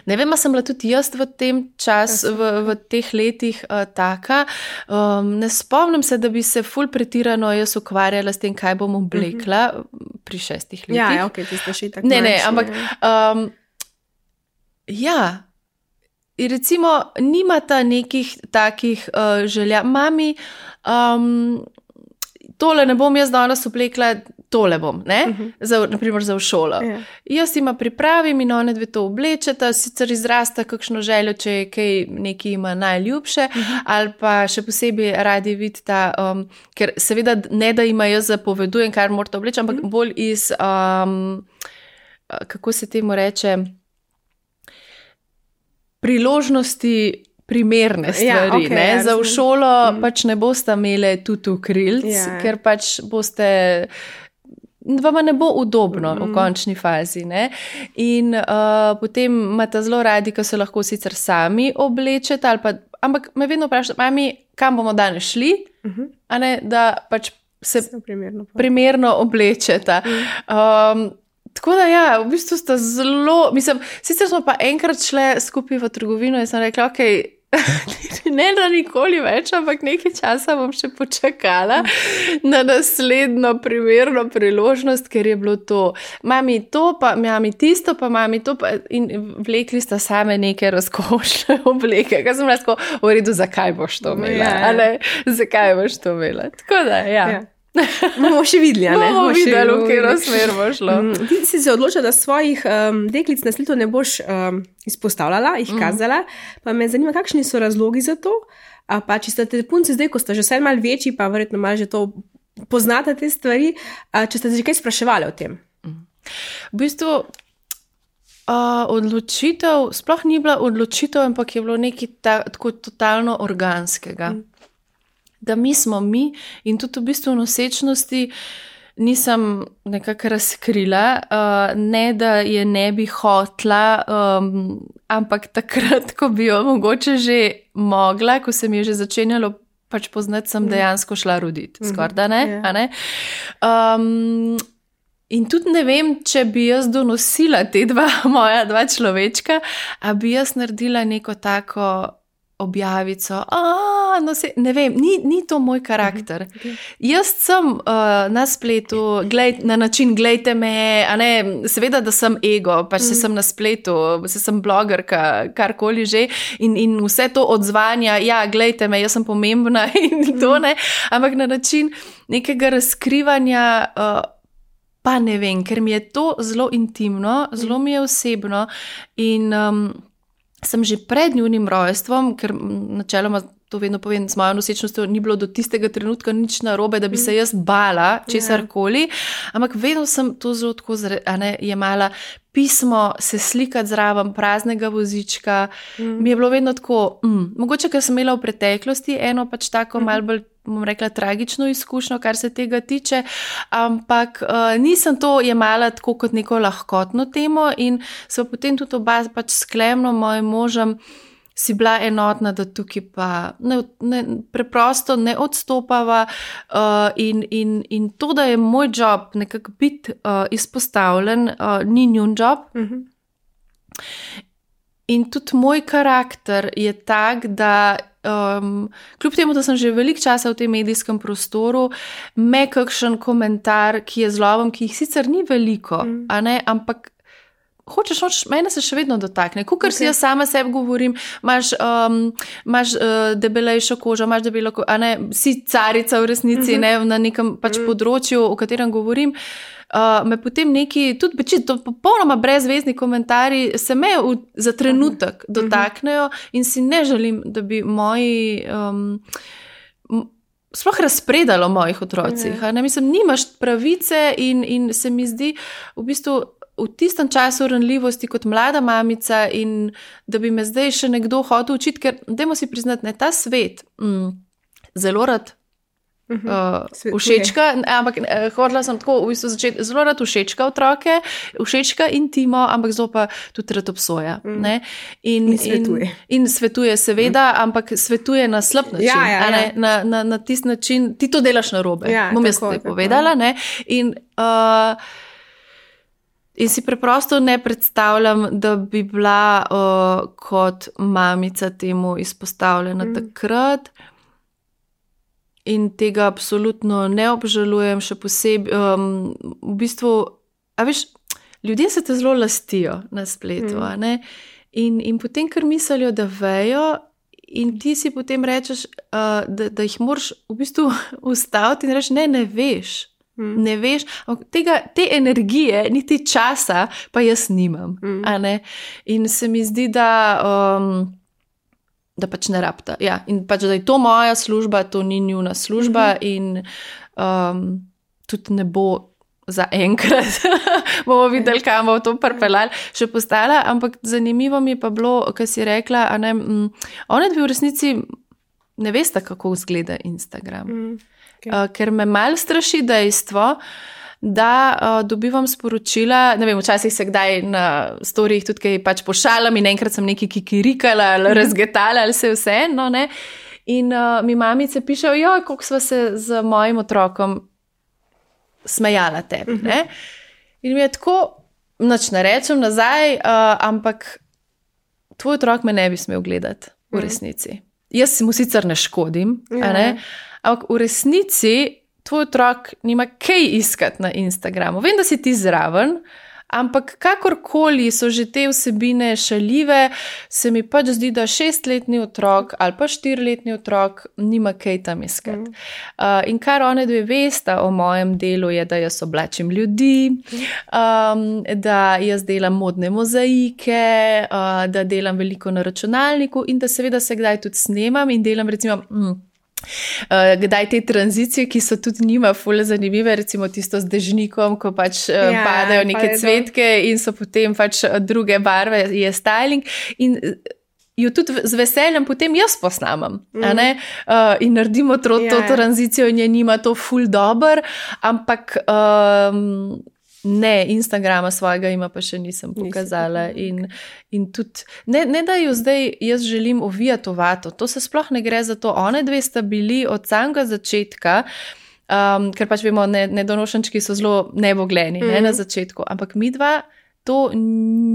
Ne vem, sem bila tudi jaz v tem času, v, v teh letih uh, taka. Um, ne spomnim se, da bi se ful pretirano jaz ukvarjala s tem, kaj bom oblekla pri šestih letih. Ja, ja, ok, ti ste še tako Ne, ne, manjši, ampak ja. um, ja, in recimo, nimata nekih takih uh, želja. Mami, um, tole ne bom jaz danes oblekla, tole bom, ne? Uh-huh. Za, naprimer za v šolo. Ja. Jaz ima pripravim in one dve to oblečeta, sicer izrasta kakšno željo, če je kaj neki ima najljubše, uh-huh. ali pa še posebej radi vidita, um, ker seveda ne da ima jaz zapovedujem, kar morate obleči, ampak uh-huh. bolj iz, um, kako se temu reče, priložnosti primerne stvari. Ja, okay, ne? ja, Za v šolo mm. pač ne boste imeli tutu krilc, ja. ker pač boste, vama ne bo udobno mm. v končni fazi. Ne? In uh, potem imate zelo radi, ko se lahko sicer sami oblečete, ali pa, ampak me vedno vprašate, mami, kam bomo danes šli, uh-huh. a ne, da pač se primerno, primerno oblečete. Mm. Um, Tako da ja, v bistvu sta zelo, mislim, sicer smo pa enkrat šle skupaj v trgovino in sem rekla, ok, ne da nikoli več, ampak nekaj časa bom še počakala na naslednjo primerno priložnost, ker je bilo to, mami to, pa mami tisto, pa mami to, pa in vlekli sta same neke razkošne obleke, kaj sem lahko v redu, zakaj boš to imela, ja, ja. a ne, zakaj boš to imela. Tako da, ja. ja. Bomo še videli, ne? Bomo videli, v katero smer bo šlo. Ti si se odločila, da svojih um, deklic na sletu ne boš um, izpostavljala, jih kazala, mm. pa me zanima, kakšni so razlogi za to, a pa če ste te punci zdaj, ko ste že vse malo večji, pa verjetno malo že to poznate te stvari, a, če ste že kaj spraševali o tem? Mm. V bistvu uh, odločitev, sploh ni bila odločitev, ampak je bilo nekaj ta, tako totalno organskega. Mm. Da mi smo mi in tudi v bistvu nosečnosti nisem nekako razkrila, uh, ne da je ne bi hotla, um, ampak takrat, ko bi jo mogoče že mogla, ko se mi je že začenjalo pač poznati, sem dejansko šla roditi. Skorda, ne? Yeah. A ne? Um, in tudi ne vem, če bi jaz donosila te dva moja dva človečka, a bi jaz naredila neko tako objavico, a, no se, ne vem, ni, ni to moj karakter. Okay. Jaz sem uh, na spletu, gled, na način, glejte me, a ne, seveda, da sem ego, pač se mm. sem na spletu, se sem blogerka, karkoli že, in, in vse to odzvanja, ja, glejte me, jaz sem pomembna in to, ne, ampak na način nekega razkrivanja, uh, pa ne vem, ker mi je to zelo intimno, zelo mi je osebno in um, sem že pred njunim rojstvom, ker načeloma to vedno povem, z mojo nosečnostjo ni bilo do tistega trenutka nič narobe, da bi se jaz bala česarkoli, ampak vedno sem to zelo tako jemala pismo, se slikati zraven praznega vozička. Mm. Mi je bilo vedno tako, mm, mogoče, ker sem imela v preteklosti eno pač tako mm. malo bolj, bom rekla, tragično izkušnjo, kar se tega tiče, ampak uh, nisem to jemala tako kot neko lahkotno temo in so potem tudi oba pač sklemno mojim možem si bila enotna, da tukaj pa ne, ne, preprosto ne odstopava uh, in, in, in to, da je moj job nekako biti uh, izpostavljen, uh, ni njun job. Mm-hmm. In tudi moj karakter je tak, da um, kljub temu, da sem že veliko časa v tem medijskem prostoru, me kakšen komentar, ki je zloben, ki jih sicer ni veliko, mm. a ne, ampak hočeš, hočeš, mene se še vedno dotakne. Kukor okay. si jaz sama sebi govorim, imaš, um, imaš uh, debelejšo kožo, imaš debelo kožo, a ne, si carica v resnici, uh-huh. ne, na nekem pač uh-huh. področju, o katerem govorim, uh, me potem neki, tudi beči, to popolnoma brezvezni komentarji se me v, za trenutek uh-huh. dotaknejo in si ne želim, da bi moji um, sploh razpredalo mojih otrocih. Uh-huh. Ne, mislim, nimaš pravice in, in se mi zdi v bistvu v tistem času ranljivosti kot mlada mamica in da bi me zdaj še nekdo hotel učiti, ker dajmo si priznati, ne, ta svet mm, zelo rad Uh, všečka, ampak uh, hodila sem tako v bistvu začeti zelo rad všečka otroke, všečka intimo, ampak zelo pa tudi rad obsoja. Mm. In, in svetuje. In, in svetuje, seveda, mm. ampak svetuje na slab način. Ja, ja, ja. Na, na, na tisti način, ti to delaš narobe. Ja, bom jaz ti povedala. Ne? In, uh, in si preprosto ne predstavljam, da bi bila uh, kot mamica temu izpostavljena mm. takrat. In tega absolutno ne obžalujem, še posebej. Um, v bistvu, a veš, ljudje se te zelo lastijo na spletu. Mm. In, in potem, ker mislijo, da vejo, in ti si potem rečeš, uh, da, da jih moraš v bistvu ustaviti in reči, ne, ne veš. Mm. Ne veš, tega, te energije, niti časa, pa jaz nimam. Mm. A ne? In se mi zdi, da. Um, da pač ne rabta. Ja, in pač, da je to moja služba, to ni njuna služba mm-hmm. in um, tudi ne bo za enkrat, bomo videli, kam bo to pripeljali, še postala, ampak zanimivo mi je pa bilo, kar si rekla, a ne, m, ona dve v resnici ne veste, kako izgleda Instagram. Mm, okay. uh, ker me mal straši dejstvo, da uh, dobivam sporočila, ne vem, včasih se kdaj na storijih tudi kaj pač pošalam in enkrat sem nekaj kikirikala ali razgetala ali se vse, no ne. In uh, mi mamice pišejo, joj, koliko sva se z mojim otrokom smejala tebi, uh-huh. ne. In mi je tako, nič ne rečem nazaj, uh, ampak tvoj otrok me ne bi smel gledati v resnici. Uh-huh. Jaz si mu sicer ne škodim, uh-huh. a ne, ampak v resnici tvoj otrok nima kaj iskati na Instagramu. Vem, da si ti zraven, ampak kakorkoli so že te vsebine šaljive, se mi pač zdi, da šestletni otrok ali pa štiriletni otrok nima kaj tam iskati. Mm. Uh, in kar one dve vesta o mojem delu je, da jaz oblačim ljudi, um, da jaz delam modne mozaike, uh, da delam veliko na računalniku in da seveda se kdaj tudi snemam in delam recimo... Mm, Uh, kdaj te tranzicije, ki so tudi njima ful zanimive, recimo tisto z dežnikom, ko pač uh, ja, padajo neke cvetke in so potem pač druge barve, je styling in jo tudi z veseljem potem jaz posnamem, mm. a ne, uh, in naredimo to, ja. to tranzicijo in je njima to ful dober, ampak um, ne, Instagrama svojega ima pa še nisem pokazala in, in tudi, ne, ne da jo zdaj jaz želim ovijati v vato, to se sploh ne gre za to, one dve sta bili od samega začetka, um, ker pač vemo, ne, nedonošenčki so zelo nebogleni, mm. ne na začetku, ampak mi dva to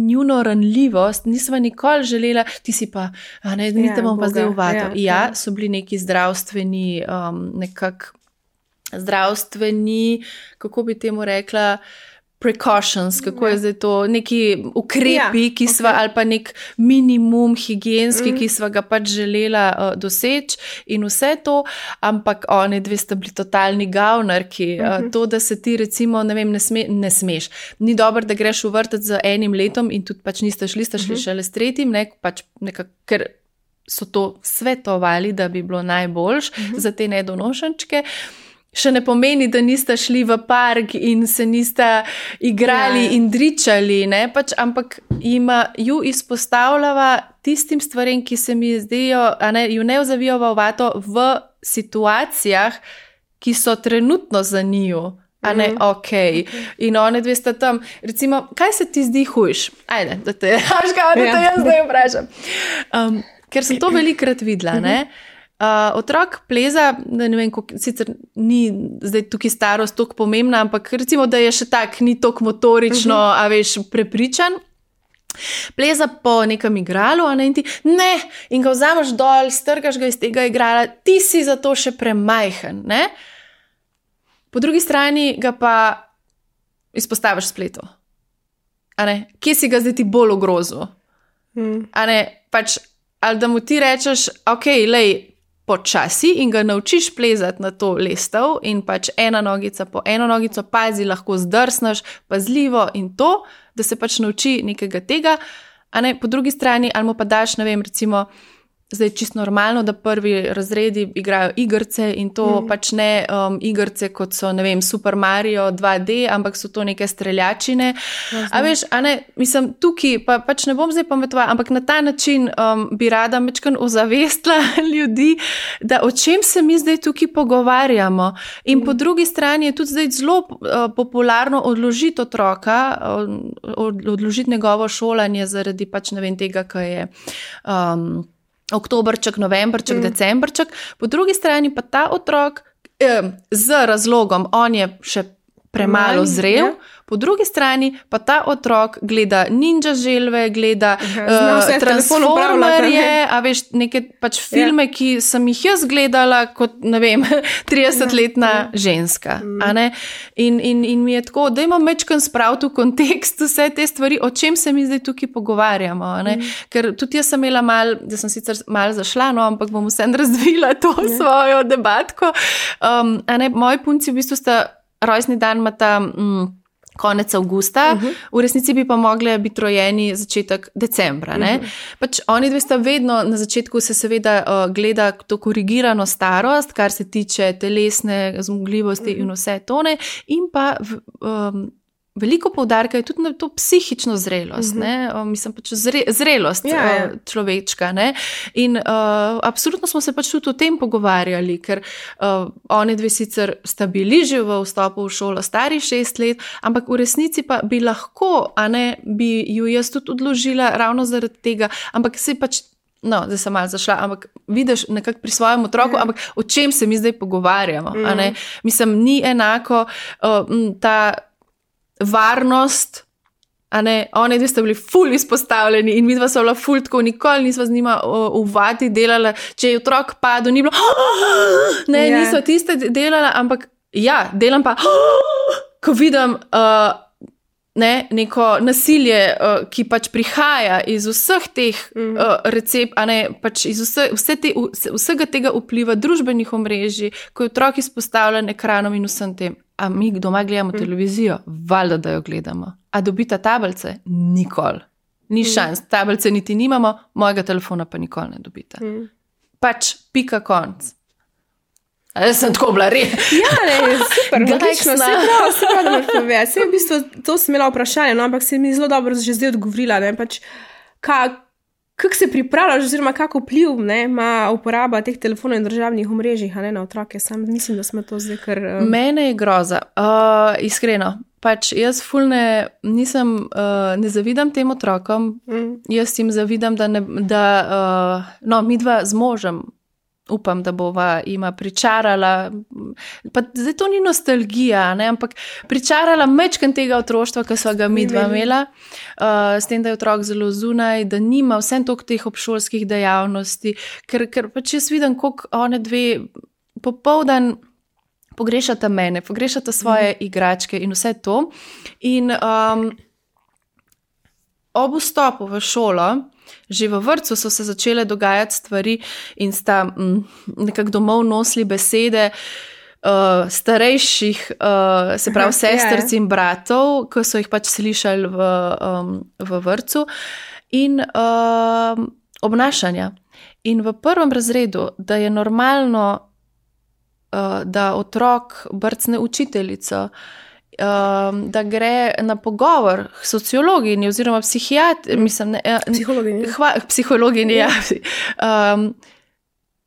njuno ranljivost nisva nikoli želela, ti si pa, a ne, ni ja, te bom pa zdaj v vato. Ja, ja, so bili neki zdravstveni, um, nekak zdravstveni, kako bi temu rekla, precautions, kako je zdaj to, neki ukrepi, ja, ki sva, okay. ali pa nek minimum higienski, mm. ki sva ga pač želela uh, doseči in vse to, ampak one dve sta bili totalni gavnarki. Mm-hmm. Uh, to, da se ti recimo, ne vem, ne, sme, ne smeš. Ni dobro, da greš v vrtec z enim letom in tudi pač niste šli, ste šli mm-hmm. šele s tretjim, ne, pač nekak, ker so to svetovali, da bi bilo najboljš mm-hmm. za te nedonošenčke. Še ne pomeni, da niste šli v park in se niste igrali ja. in dričali, ne? Pač, ampak ima ju izpostavljava tistim stvarem, ki se mi zdijo, a ne, ju ne vzavijo v vato v situacijah, ki so trenutno za njiju, a ne, mm. ok. okay. In one dve sta tam, recimo, kaj se ti zdi hujš? Ajde, da te, až kao, da te ja. jaz zdaj vprašam. Um, ker sem to velikrat videla, ne? Uh, otrok pleza, da ne vem, koliko, sicer ni zdaj tukaj starost toliko pomembna, ampak recimo, da je še tak, ni toliko motorično, uh-huh. a veš, prepričan. Pleza po nekem igralu, a ne, in ti, ne, in ga vzameš dol, strgaš ga iz tega igrala, ti si za to še premajhen, ne. Po drugi strani ga pa izpostaviš spletu. A ne, kje si ga zdaj ti bolj ogrozil? Hmm. A ne, pač, ali da mu ti rečeš, ok, lej, počasi in ga naučiš plezati na to lestev in pač ena nogica po eno nogico, pazi, lahko zdrsneš, pazljivo in to, da se pač nauči nekega tega, a ne, po drugi strani, ali mu pa daš, ne vem, recimo zdaj čisto normalno, da prvi razredi igrajo igrice in to mm. pač ne um, igrice, kot so, ne vem, Super Mario dva D, ampak so to neke streljačine. Ja, a veš, a ne, mislim, tukaj pa, pač ne bom zdaj pametovala, ampak na ta način um, bi rada mečkan ozavestila ljudi, da o čem se mi zdaj tukaj pogovarjamo. In mm. po drugi strani je tudi zdaj zelo uh, popularno odložiti otroka, od, odložiti njegovo šolanje zaradi pač ne vem tega, kaj je um, oktoberček, novembrček, mm. decembrček. Po drugi strani pa ta otrok eh, z razlogom, on je še premalo zrel, ja. Po drugi strani pa ta otrok gleda Ninja želve, gleda uh, Transformerje, a veš, neke pač filme, ja. Ki sem jih jaz gledala kot, ne vem, tridesetletna ja. Ženska. Mm. A ne? In, in, in mi je tako, da imam mečkan spraviti v kontekst vse te stvari, o čem se mi zdaj tukaj pogovarjamo. A ne? Mm. Ker tudi jaz sem imela mal, da sem sicer mal zašla, no, ampak bom vsem razvila to ja. Svojo debatko. Um, a ne, moji punci v bistvu sta rojstni dan imata mm, konec avgusta, uh -huh. v resnici bi pa mogli biti rojeni začetek decembra. Ne? Uh -huh. Pač oni dve sta vedno, na začetku se seveda uh, gleda to korigirano starost, kar se tiče telesne zmogljivosti uh -huh. in vse tone, in pa v, um, veliko poudarka je tudi na to psihično zrelost, uh-huh. ne? Mislim pač zre, zrelost ja, ja. Človečka. Ne? In uh, absolutno smo se pač tudi o tem pogovarjali, ker uh, oni dve sicer sta bili že v vstopu v šolo stari šest let, ampak v resnici pa bi lahko, a ne, bi ju jaz tudi odložila ravno zaradi tega, ampak se pač, no, zdaj sem malo zašla, ampak vidiš nekako pri svojem otroku, ja. Ampak o čem se mi zdaj pogovarjamo, uh-huh. a ne? Mislim, ni enako uh, ta varnost, a ne, oni dve sta bili ful izpostavljeni in midva so bila ful tako, nikoli nisva z njima v vati delala, če je otrok padel, ni bilo, ne, yeah. nisva tiste delala, ampak ja, delam pa, ko vidim uh, ne, neko nasilje, uh, ki pač prihaja iz vseh teh mm. uh, recept, a ne, pač iz vse, vse te, vse, vsega tega vpliva družbenih omrežij, ko je otrok izpostavljen ekranom in vsem tem. A mi doma gledamo mm. televizijo? Valjda, da jo gledamo. A dobita tablice? Nikoli. Ni mm. šans. Tablice niti nimamo, mojega telefona pa nikoli ne dobita. Mm. Pač pika konc. A jaz sem tako bila res. Ja, ne, super, odlično. Se prav, se prav, da me pove. Se v bistvu, to sem imela vprašanje, no, ampak se mi zelo dobro že zdaj odgovorila, ne, pač, ka, kako se pripravljaš, oziroma kako vpliv ne, ima uporaba teh telefonov in državnih omrežjih, a ne, na otroke. Sam mislim, da smo to zdaj kar... Um... Mene je groza, uh, iskreno. Pač jaz ful ne, nisem, uh, ne zavidam tem otrokom, mm. jaz jim zavidam, da, ne, da uh, no, midva z možem, upam, da bova ima pričarala, pa zdaj to ni nostalgija, ne, ampak pričarala mečken tega otroštva, ki so ga midva imela, uh, s tem, da je otrok zelo zunaj, da nima vsem toliko teh obšolskih dejavnosti, ker, ker pač jaz vidim, koliko one dve popoldan pogrešata mene, pogrešata svoje mm. igračke in vse to. In um, ob vstopu v šolo, že v vrtcu so se začele dogajati stvari in sta m, nekako domov nosili besede uh, starejših, uh, se pravi sestrc in bratov, ki so jih pač slišali v, um, v vrtcu, in uh, obnašanja. In v prvem razredu, da je normalno, uh, da otrok brcne učiteljico, Um, da gre na pogovor k sociologinji oziroma psihiatri, mislim, ne, psihologinji. Hva, psihologinji, ja. Um,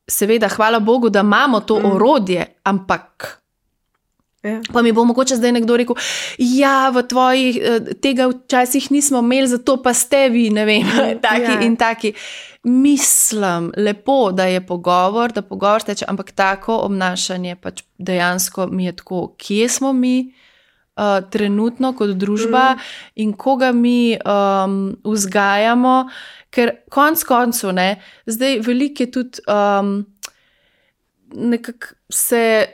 seveda, hvala Bogu, da imamo to mm. orodje, ampak ja. Pa mi bo mogoče zdaj nekdo rekel, ja, v tvojih, tega včasih nismo imeli, zato pa ste vi, ne vem, taki ja. In taki. Mislim, lepo, da je pogovor, da pogovor teče, ampak tako obnašanje pač dejansko mi je tako, kje smo mi, Uh, trenutno kot družba mm. in koga mi um, vzgajamo, ker konc koncu, ne, zdaj veliko je tudi um, nekako se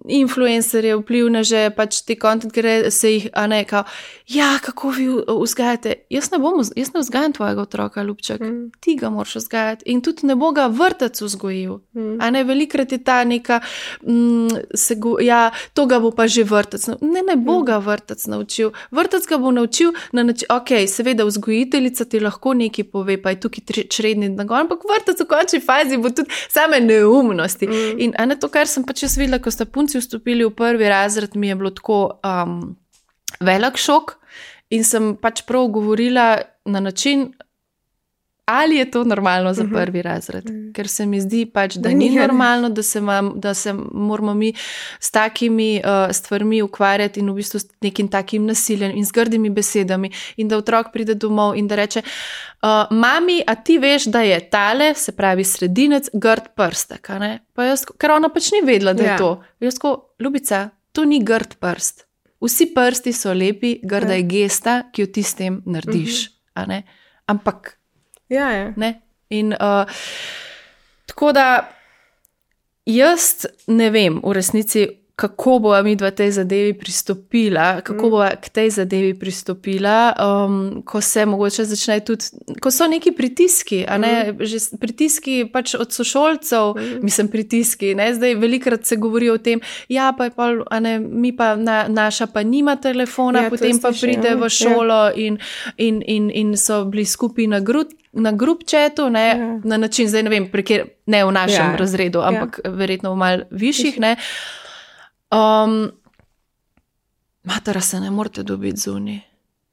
influencerje, vplivneže, pač te content, ker se jih, a ne, kao, ja, kako vi vzgajate. Jaz ne bom, jaz ne vzgajam tvojega otroka, ljubček, mm. ti ga moraš vzgajati in tudi ne bo ga vrtec vzgojil. Mm. A ne, velikrat je ta neka, mm, se go, ja, to ga bo pa že vrtec. Ne, ne bo mm. ga vrtec naučil. Vrtec ga bo naučil, na nači, ok, seveda vzgojiteljica ti lahko nekaj pove, pa je tukaj čredni nagon, ampak vrtec v končni fazi bo tudi same neumnosti. Mm. In a ne, to, kar sem pač jaz videla, ko sta punci vstopili v prvi razred, mi je bilo tako um, velik šok in sem pač prav govorila na način, ali je to normalno za prvi razred, uh-huh. ker se mi zdi pač, da ni normalno, da se, mam, da se moramo mi s takimi uh, stvarmi ukvarjati in v bistvu s nekim takim nasiljem in z grdimi besedami in da otrok pride domov in da reče, uh, mami, a ti veš, da je tale, se pravi sredinec, grd prstek, a ne? Pa jaz, ker ona pač ni vedela, da je ja. to. Jaz ko, ljubica, to ni grd prst. Vsi prsti so lepi, grda je gesta, ki jo ti s tem narediš, uh-huh. a ne? Ampak Ja, ja. Ne? In uh, tako da jaz ne vem v resnici, kako bo mi dva tej zadevi pristopila, kako bo k tej zadevi pristopila, um, ko se mogoče začne tudi, ko so neki pritiski, a ne, mm. že pritiski pač od sošolcev, mm. mislim pritiski, ne, zdaj velikrat se govori o tem, ja, pa je pa, a ne, mi pa, na, naša pa nima telefona, ja, potem pa pride v šolo ja. in, in, in, in so bili skupaj na grud, na grup chatu, ne, ja. na način, zdaj ne vem, prekjer, ne v našem ja. razredu, ampak ja. verjetno v mal višjih, ne, Um, matera se ne morate dobiti zunaj.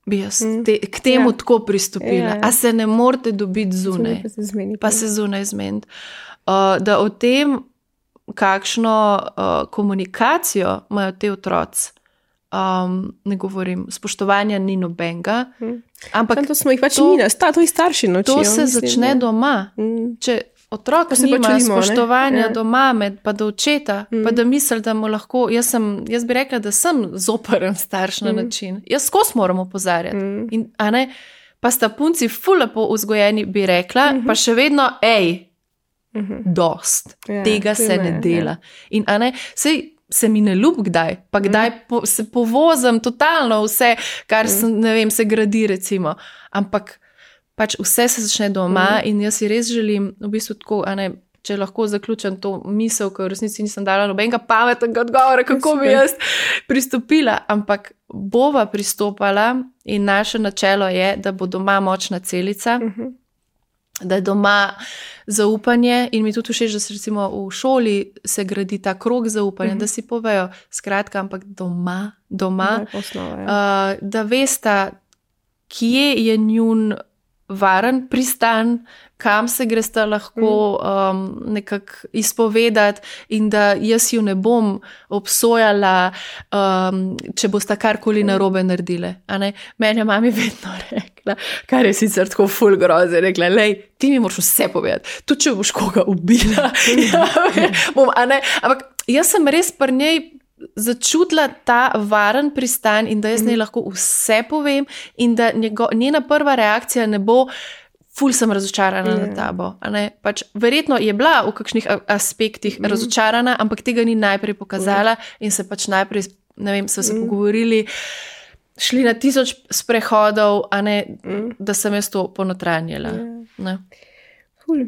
Bi jaz te, k temu ja. tako pristopila. Ja, ja. A se ne morate dobiti zunaj. Pa se zmeniti. Pa se zunaj zmeniti. Uh, da o tem, kakšno uh, komunikacijo imajo te otroci, um, ne govorim, spoštovanja ni nobenga. Hmm. Ampak to smo jih pač to, mi, sta, to jih starši nočijo. To se mislim, začne ne? doma. Hmm. Če otrok nima pač spoštovanja ja. do mame, pa do očeta, mm. pa da misli, da mu lahko, jaz, sem, jaz bi rekla, da sem zoperen starš na mm. način. Jaz skos moram opozarjati. Mm. In, a ne, pa sta punci ful lepo vzgojeni, bi rekla, mm-hmm. pa še vedno, ej, mm-hmm. dost, ja, tega se ne, ne dela. Ja. In a ne, sej, se mi ne ljub kdaj, pa kdaj mm. po, se povozem totalno vse, kar mm. sem, ne vem, se gradi recimo, ampak pač vse se začne doma mm. in jaz si res želim, v bistvu tako, a ne, če lahko zaključim to misel, ker v resnici nisem dala nobenega pametnega odgovora, kako bi jaz pristopila, ampak bova pristopala in naše načelo je, da bo doma močna celica, mm-hmm. da je doma zaupanje in mi tudi všeč, da se recimo v šoli se gradi ta krog zaupanja, mm-hmm. da si povejo, skratka, ampak doma, doma, poslova, uh, da vesta, kje je njun varen pristan, kam se gresta lahko um, nekako izpovedati in da jaz ju ne bom obsojala, um, če bosta karkoli narobe naredile. A ne? Meni je mami vedno rekla, kar je sicer tako ful groze, rekla, lej, ti mi moraš vse povedati, tudi če boš koga ubila. ja, bom, a ne? Ampak jaz sem res pri njej začutila ta varen pristan in da jaz ne lahko vse povem in da njego, njena prva reakcija ne bo ful sem razočarana yeah. na tabo. A ne? Pač, verjetno je bila v kakšnih aspektih mm. razočarana, ampak tega ni najprej pokazala mm. in se pač najprej, ne vem, so se mm. pogovorili, šli na tisoč sprehodov, a ne, mm. da sem jaz to ponotranjila. Yeah. Ne? Cool.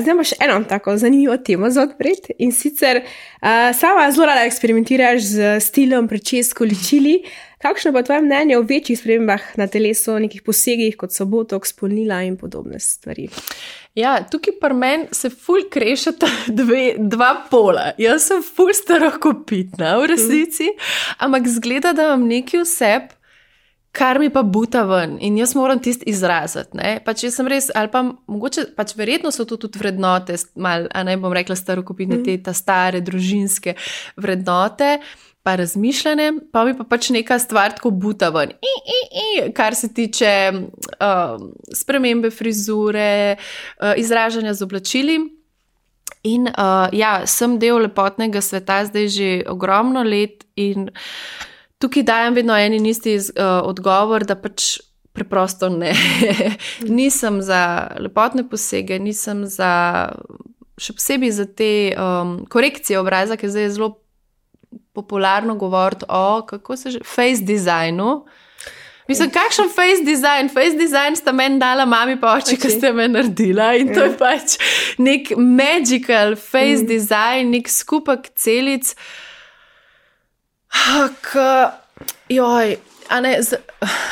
Zdaj imaš eno tako zanimivo temo za odpreti in sicer uh, sama zelo rada eksperimentiraš z stilom, pričesko, ličili. Kakšno pa tvoje mnenje o večjih spremembah na telesu, nekih posegih, kot so botoks, spolnila in podobne stvari? Ja, tukaj pri meni se ful krešata dve, dva pola. Jaz sem ful starokopitna v resnici, mm. ampak zgleda, da imam neki vseb, kar mi pa buta ven in jaz moram tist izraziti, ne, pač jaz sem res, ali pa mogoče, pač verjetno so to tudi vrednote, mal, a ne bom rekla starokopitne, mm. te ta stare, družinske vrednote, pa razmišljanje, pa mi pa pač neka stvar tako buta ven, I, I, I, kar se tiče uh, spremembe frizure, uh, izražanja z oblačili. In uh, ja, sem del lepotnega sveta zdaj že ogromno let in tukaj dajem vedno en in isti uh, odgovor, da pač preprosto ne. Nisem za lepotne posege, nisem za, še posebej za te um, korekcije obraza, ker zdaj je zelo popularno govoriti o, kako se že, face designu. Mislim, kakšen face design? Face design sta meni dala mami pa oči, ki ste me naredila in to je pač nek magical face mm. design, nek skupek celic, k, joj, a ne, z,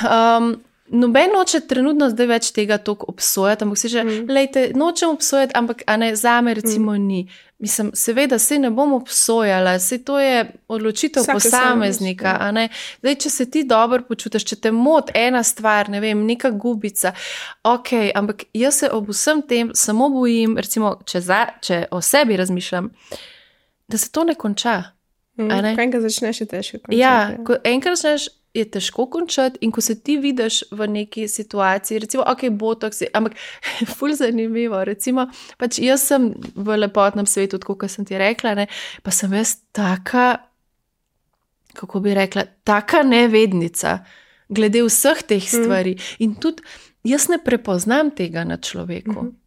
um, noben noče trenutno zdaj več tega toliko obsojati, ampak si že, mm. lejte, nočem obsojati, ampak a ne, zame recimo mm. ni. Mislim, seveda, se ne bom obsojala, se to je odločitev Vsake posameznika, a ne. Zdaj, če se ti dobro počutiš, če te mot ena stvar, ne vem, neka gubica, ok, ampak jaz se ob vsem tem samo bojim, recimo, če, za, če o sebi razmišljam, da se to ne konča. Mm, a ne? Ko enkrat začneš, je težko končati. Ja, ko enkrat začneš, je težko končati in ko se ti vidiš v neki situaciji, recimo, ok, botox, ampak ful zanimivo, recimo, pač jaz sem v lepotnem svetu, tako kot sem ti rekla, ne, pa sem jaz taka, kako bi rekla, taka nevednica, glede vseh teh stvari mm. in tudi jaz ne prepoznam tega na človeku. Mm-hmm.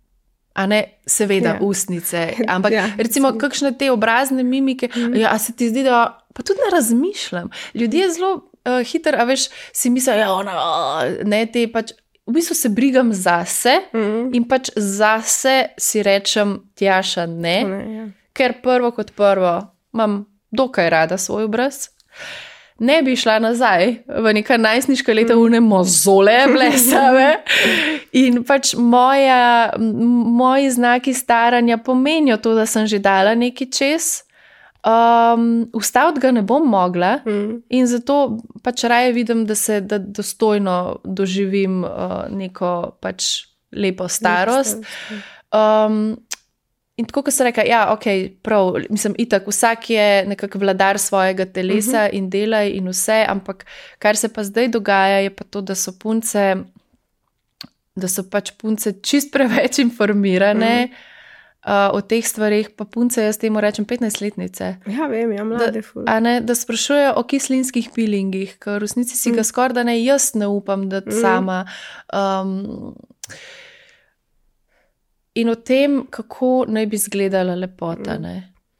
A ne, seveda, yeah. ustnice, ampak yeah, recimo, kakšne te obrazne mimike, mm. ja, a se ti zdi, da pa tudi ne razmišljam. Ljudje zelo uh, hitro, a veš, si mislijo, ja, ona, ne, te pač, v bistvu se brigam zase mm. in pač zase si rečem, Tjaša, ne, ne yeah. ker prvo kot prvo imam dokaj rada svoj obraz. Ne bi šla nazaj v neka najstniška leta v ne mozole blesave in pač moja, moji znaki staranja pomenijo to, da sem že dala neki čez. Um, ustaviti ga ne bom mogla mm. in zato pač raje vidim, da se da dostojno doživim uh, neko pač lepo starost. Um, In tako, ko se reka, ja, ok, prav, mislim, itak, vsak je nekako vladar svojega telesa uh-huh. in dela in vse, ampak kar se pa zdaj dogaja, je pa to, da so punce, da so pač punce čist preveč informirane uh-huh. uh, o teh stvarih, pa punce, jaz temu rečem petnajstletnice. Ja, vem, ja, mlade ful. Da, ne, da sprašujejo o kislinskih peelingih, ker v resnici si uh-huh. ga skoraj da ne jaz ne upam, da uh-huh. sama... Um, In o tem, kako naj bi izgledala lepota. Ne?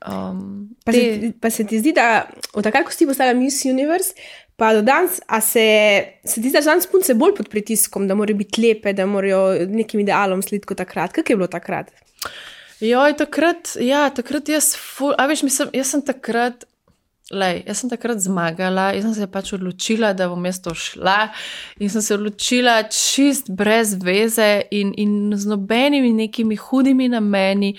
Um, pa, te... se, pa se ti zdi, da od takrat, ko si postala Miss Universe, pa do danes, a se, se ti zdi, da danes punce bolj pod pritiskom, da morajo biti lepe, da morajo nekim idealom slediti kot takrat. Kako je bilo takrat? Joj, takrat, ja, takrat jaz, ful, a veš, mislim, jaz sem takrat, lej, jaz sem takrat zmagala, jaz sem se pač odločila, da bom jaz to šla in sem se odločila čist brez veze in, in z nobenimi nekimi hudimi nameni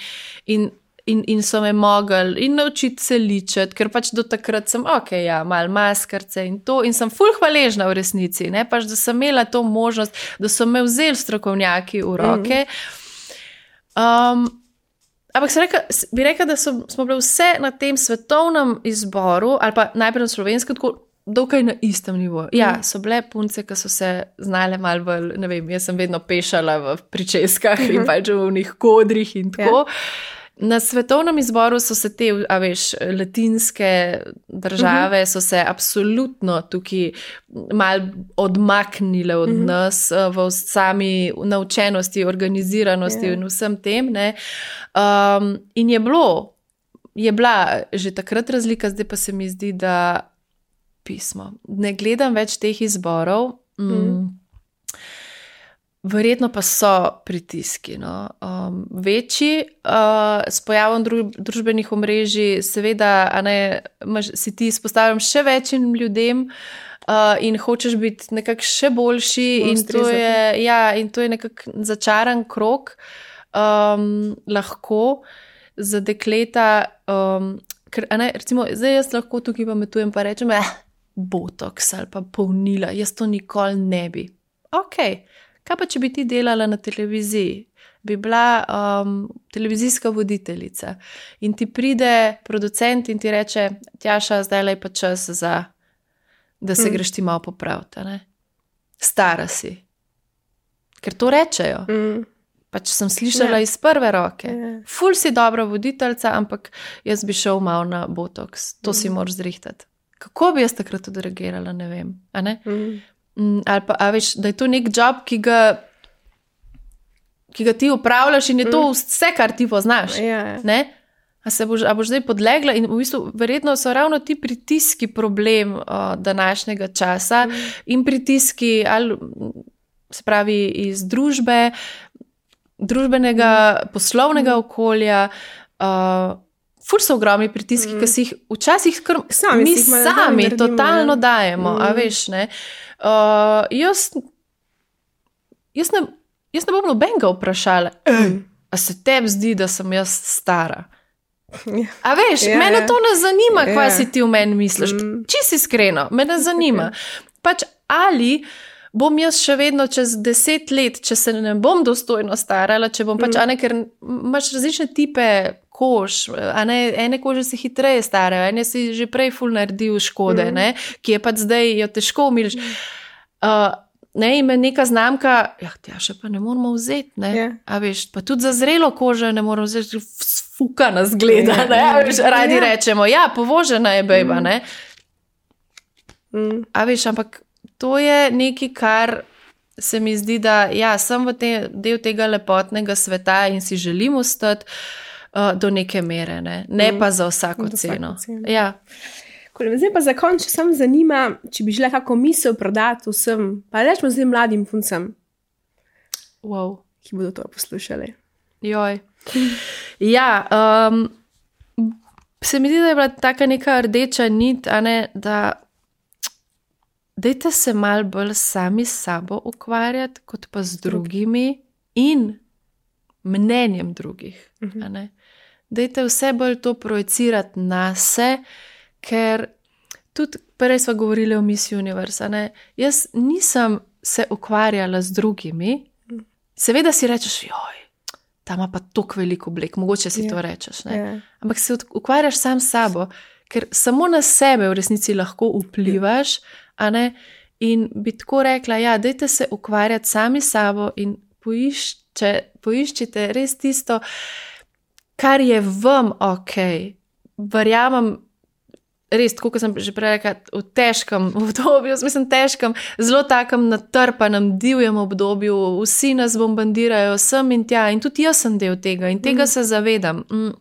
in, in, in so me mogli in naučiti se ličati, ker pač do takrat sem, ok, ja, malo maskarce in to in sem ful hvaležna v resnici, ne, pač da sem imela to možnost, da so me vzeli strokovnjaki v roke. Um, Ampak reka, bi rekla, da so, smo bili vse na tem svetovnem izboru, ali pa najprej na slovenskem, tako dokaj na istem nivoju. Ja, so bile punce, ki so se znale malo bolj, ne vem, jaz sem vedno pešala v pričeskah uh-huh. in pač v njih kodrih in tako. Yeah. Na svetovnem izboru so se te, a veš, latinske države uh-huh. so se absolutno tukaj malo odmaknile od uh-huh. nas v sami naučenosti, organiziranosti yeah. in vsem tem, ne. Um, in je bilo, je bila že takrat razlika, zdaj pa se mi zdi, da pismo. Ne gledam več teh izborov, mm, uh-huh. Verjetno pa so pritiski, no. um, večji, uh, s pojavom dru- družbenih omrežij, seveda, a ne, maš, si ti izpostavljam še večjim ljudem uh, in hočeš biti nekako še boljši in to, je, ja, in to je nekako začaran krog, um, lahko za dekleta, um, ker, a ne, recimo, zdaj jaz lahko tukaj pametujem pa rečem, eh, botox ali pa polnila, jaz to nikoli ne bi. Okej. Okay. Kaj pa, če bi ti delala na televiziji? Bi bila um, televizijska voditeljica in ti pride producent in ti reče, Tjaša, zdaj je pa čas za, da se mm. greš ti malo popraviti, ne? Stara si. Ker to rečejo. Mm. Pač sem slišala yeah. iz prve roke. Yeah. Ful si dobra voditeljca, ampak jaz bi šel malo na botox. To mm. si moraš zrihtati. Kako bi jaz takrat odreagirala, ne vem. A ne? Mm. Ali pa, a veš, da je to nek job, ki ga, ki ga ti upravljaš in je to vse, kar ti poznaš. Yeah. Ne? A, se boš, a boš zdaj podlegla in v bistvu verjetno so ravno ti pritiski problem uh, današnjega časa mm. in pritiski ali, se pravi, iz družbe, družbenega, mm. poslovnega mm. okolja, uh, ful so ogromni pritiski, mm. ki si jih včasih kar, sami mi si jih sami naredimo, totalno ne? dajemo, mm. a veš, ne. Uh, jaz, jaz, ne jaz ne bom nobenega vprašala, mm. a se tebi zdi, da sem jaz stara? A veš, ja, mene to ne zanima, ja. Kaj si ti v meni misliš. Mm. Čisto iskreno, me ne zanima. Pač ali bom jaz še vedno čez deset let, če se ne bom dostojno starala, če bom pač, mm. a ne, ker imaš različne tipe kož, a ne, ene kože se hitreje starajo, ene si že prej ful naredil škode, mm. ne, ki je pač zdaj jo težko umiliš. Uh, ne, in me neka znamka, ja, tja še pa ne moramo vzeti, ne, yeah. A veš, pa tudi za zrelo kožo ne moramo vzeti, fuka nas gleda, yeah. ne, a veš, radi yeah. rečemo, ja, povožena je bejba, mm. ne. Mm. A veš, ampak to je nekaj, kar se mi zdi, da ja, sem v te, del tega lepotnega sveta in si želim ostati uh, do neke mere, ne, ne mm. pa za vsako do ceno. ceno. Ja. Zdaj pa za konč, če sem zanima, če bi želela kako misel prodati vsem, pa rečemo zdaj mladim puncem, wow. ki bodo to poslušali. Joj. Ja, um, se mi zdi, da je bila taka neka rdeča nit, a ne, da dajte se malo bolj sami s sabo ukvarjati, kot pa z drugimi in mnenjem drugih. Uh-huh. A ne. Dajte vse bolj to projicirati na se, ker tudi prej smo govorili o Miss Universe, ne? Jaz nisem se ukvarjala z drugimi, seveda si rečeš, joj, ta ima pa toliko veliko oblek, mogoče si yeah. to rečeš, ne? Yeah. Ampak se ukvarjaš sam s sabo, ker samo na sebe v resnici lahko vplivaš, a ne, in bi tako rekla, ja, dajte se ukvarjati sami s sabo in poišče, poiščite res tisto, kar je vam okej. Verjamem, res, tako kot sem že prej rekla, v težkem obdobju, mislim težkem, zelo takem natrpanem, divjem obdobju, vsi nas bombardirajo sem in tja in tudi jaz sem del tega in tega mm. se zavedam. Mm.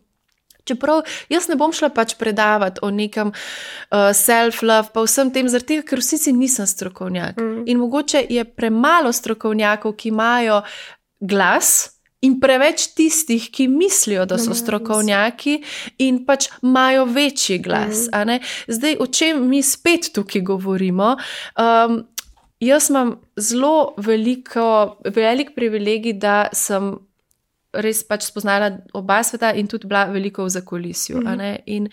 Čeprav jaz ne bom šla pač predavati o nekem uh, self-love, pa vsem tem, zaradi tega, ker vsi si nisem strokovnjak. Mm. In mogoče je premalo strokovnjakov, ki imajo glas, in preveč tistih, ki mislijo, da so strokovnjaki in pač imajo večji glas. Mm. A ne? Zdaj, o čem mi spet tukaj govorimo? Um, jaz imam zelo veliko, velik privilegij, da sem res pač spoznala oba sveta in tudi bila veliko v zakulisju. Mm. A ne? In,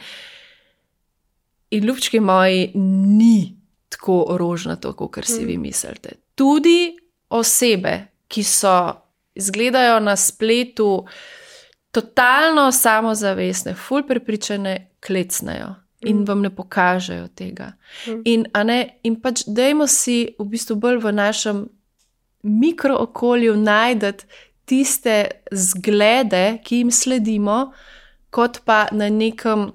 in ljubčki moji ni tako rožnato, kot si mm. vi mislite. Tudi osebe, ki so izgledajo na spletu totalno samozavestne, ful prepričane, klecnejo in mm. vam ne pokažejo tega. Mm. In, a ne, in pač dajmo si v bistvu bolj v našem mikrookolju najdeti tiste zglede, ki jim sledimo, kot pa na nekem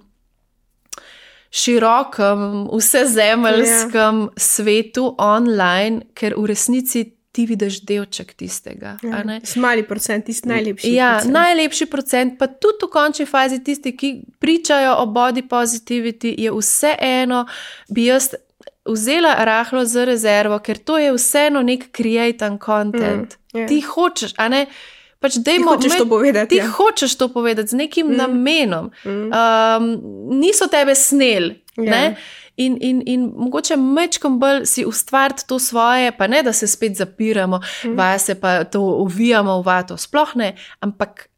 širokem, vsezemeljskem yeah. svetu online, ker v resnici ti vidiš delček tistega. Ja, mali procent, tisti najlepši ja, procent. Najlepši procent, pa tudi v končni fazi tisti, ki pričajo o body positivity, je vse eno, bi jaz vzela rahlo za rezervo, ker to je vseeno nek created content. Mm, yeah. Ti hočeš, a ne, pač dejmo, ti hočeš me, to povedati. Ti ja. hočeš to povedati z nekim mm. namenom. Mm. Um, niso tebe snel, yeah. ne? In, in, in mogoče mečkom bolj si ustvariti to svoje, pa ne, da se spet zapiramo, mm. vase pa to uvijamo v vato, sploh ne, ampak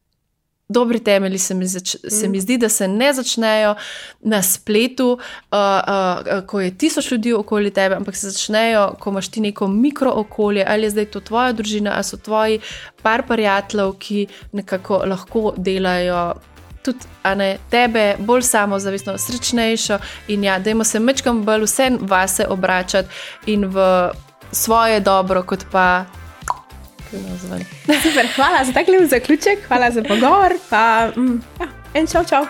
dobri temelji se mi, zač, mm. se mi zdi, da se ne začnejo na spletu, uh, uh, ko je tisoč ljudi okoli tebe, ampak se začnejo, ko imaš ti neko mikrookolje, ali je zdaj to tvoja družina, ali so tvoji par prijateljev, ki nekako lahko delajo tudi, a ne, tebe bolj samozavestno, srečnejšo in ja, dajmo se mečkam bolj vse vase obračati in v svoje dobro, kot pa super, hvala za tak lep zaključek, hvala za pogovor, pa mm, ja, en čau, čau.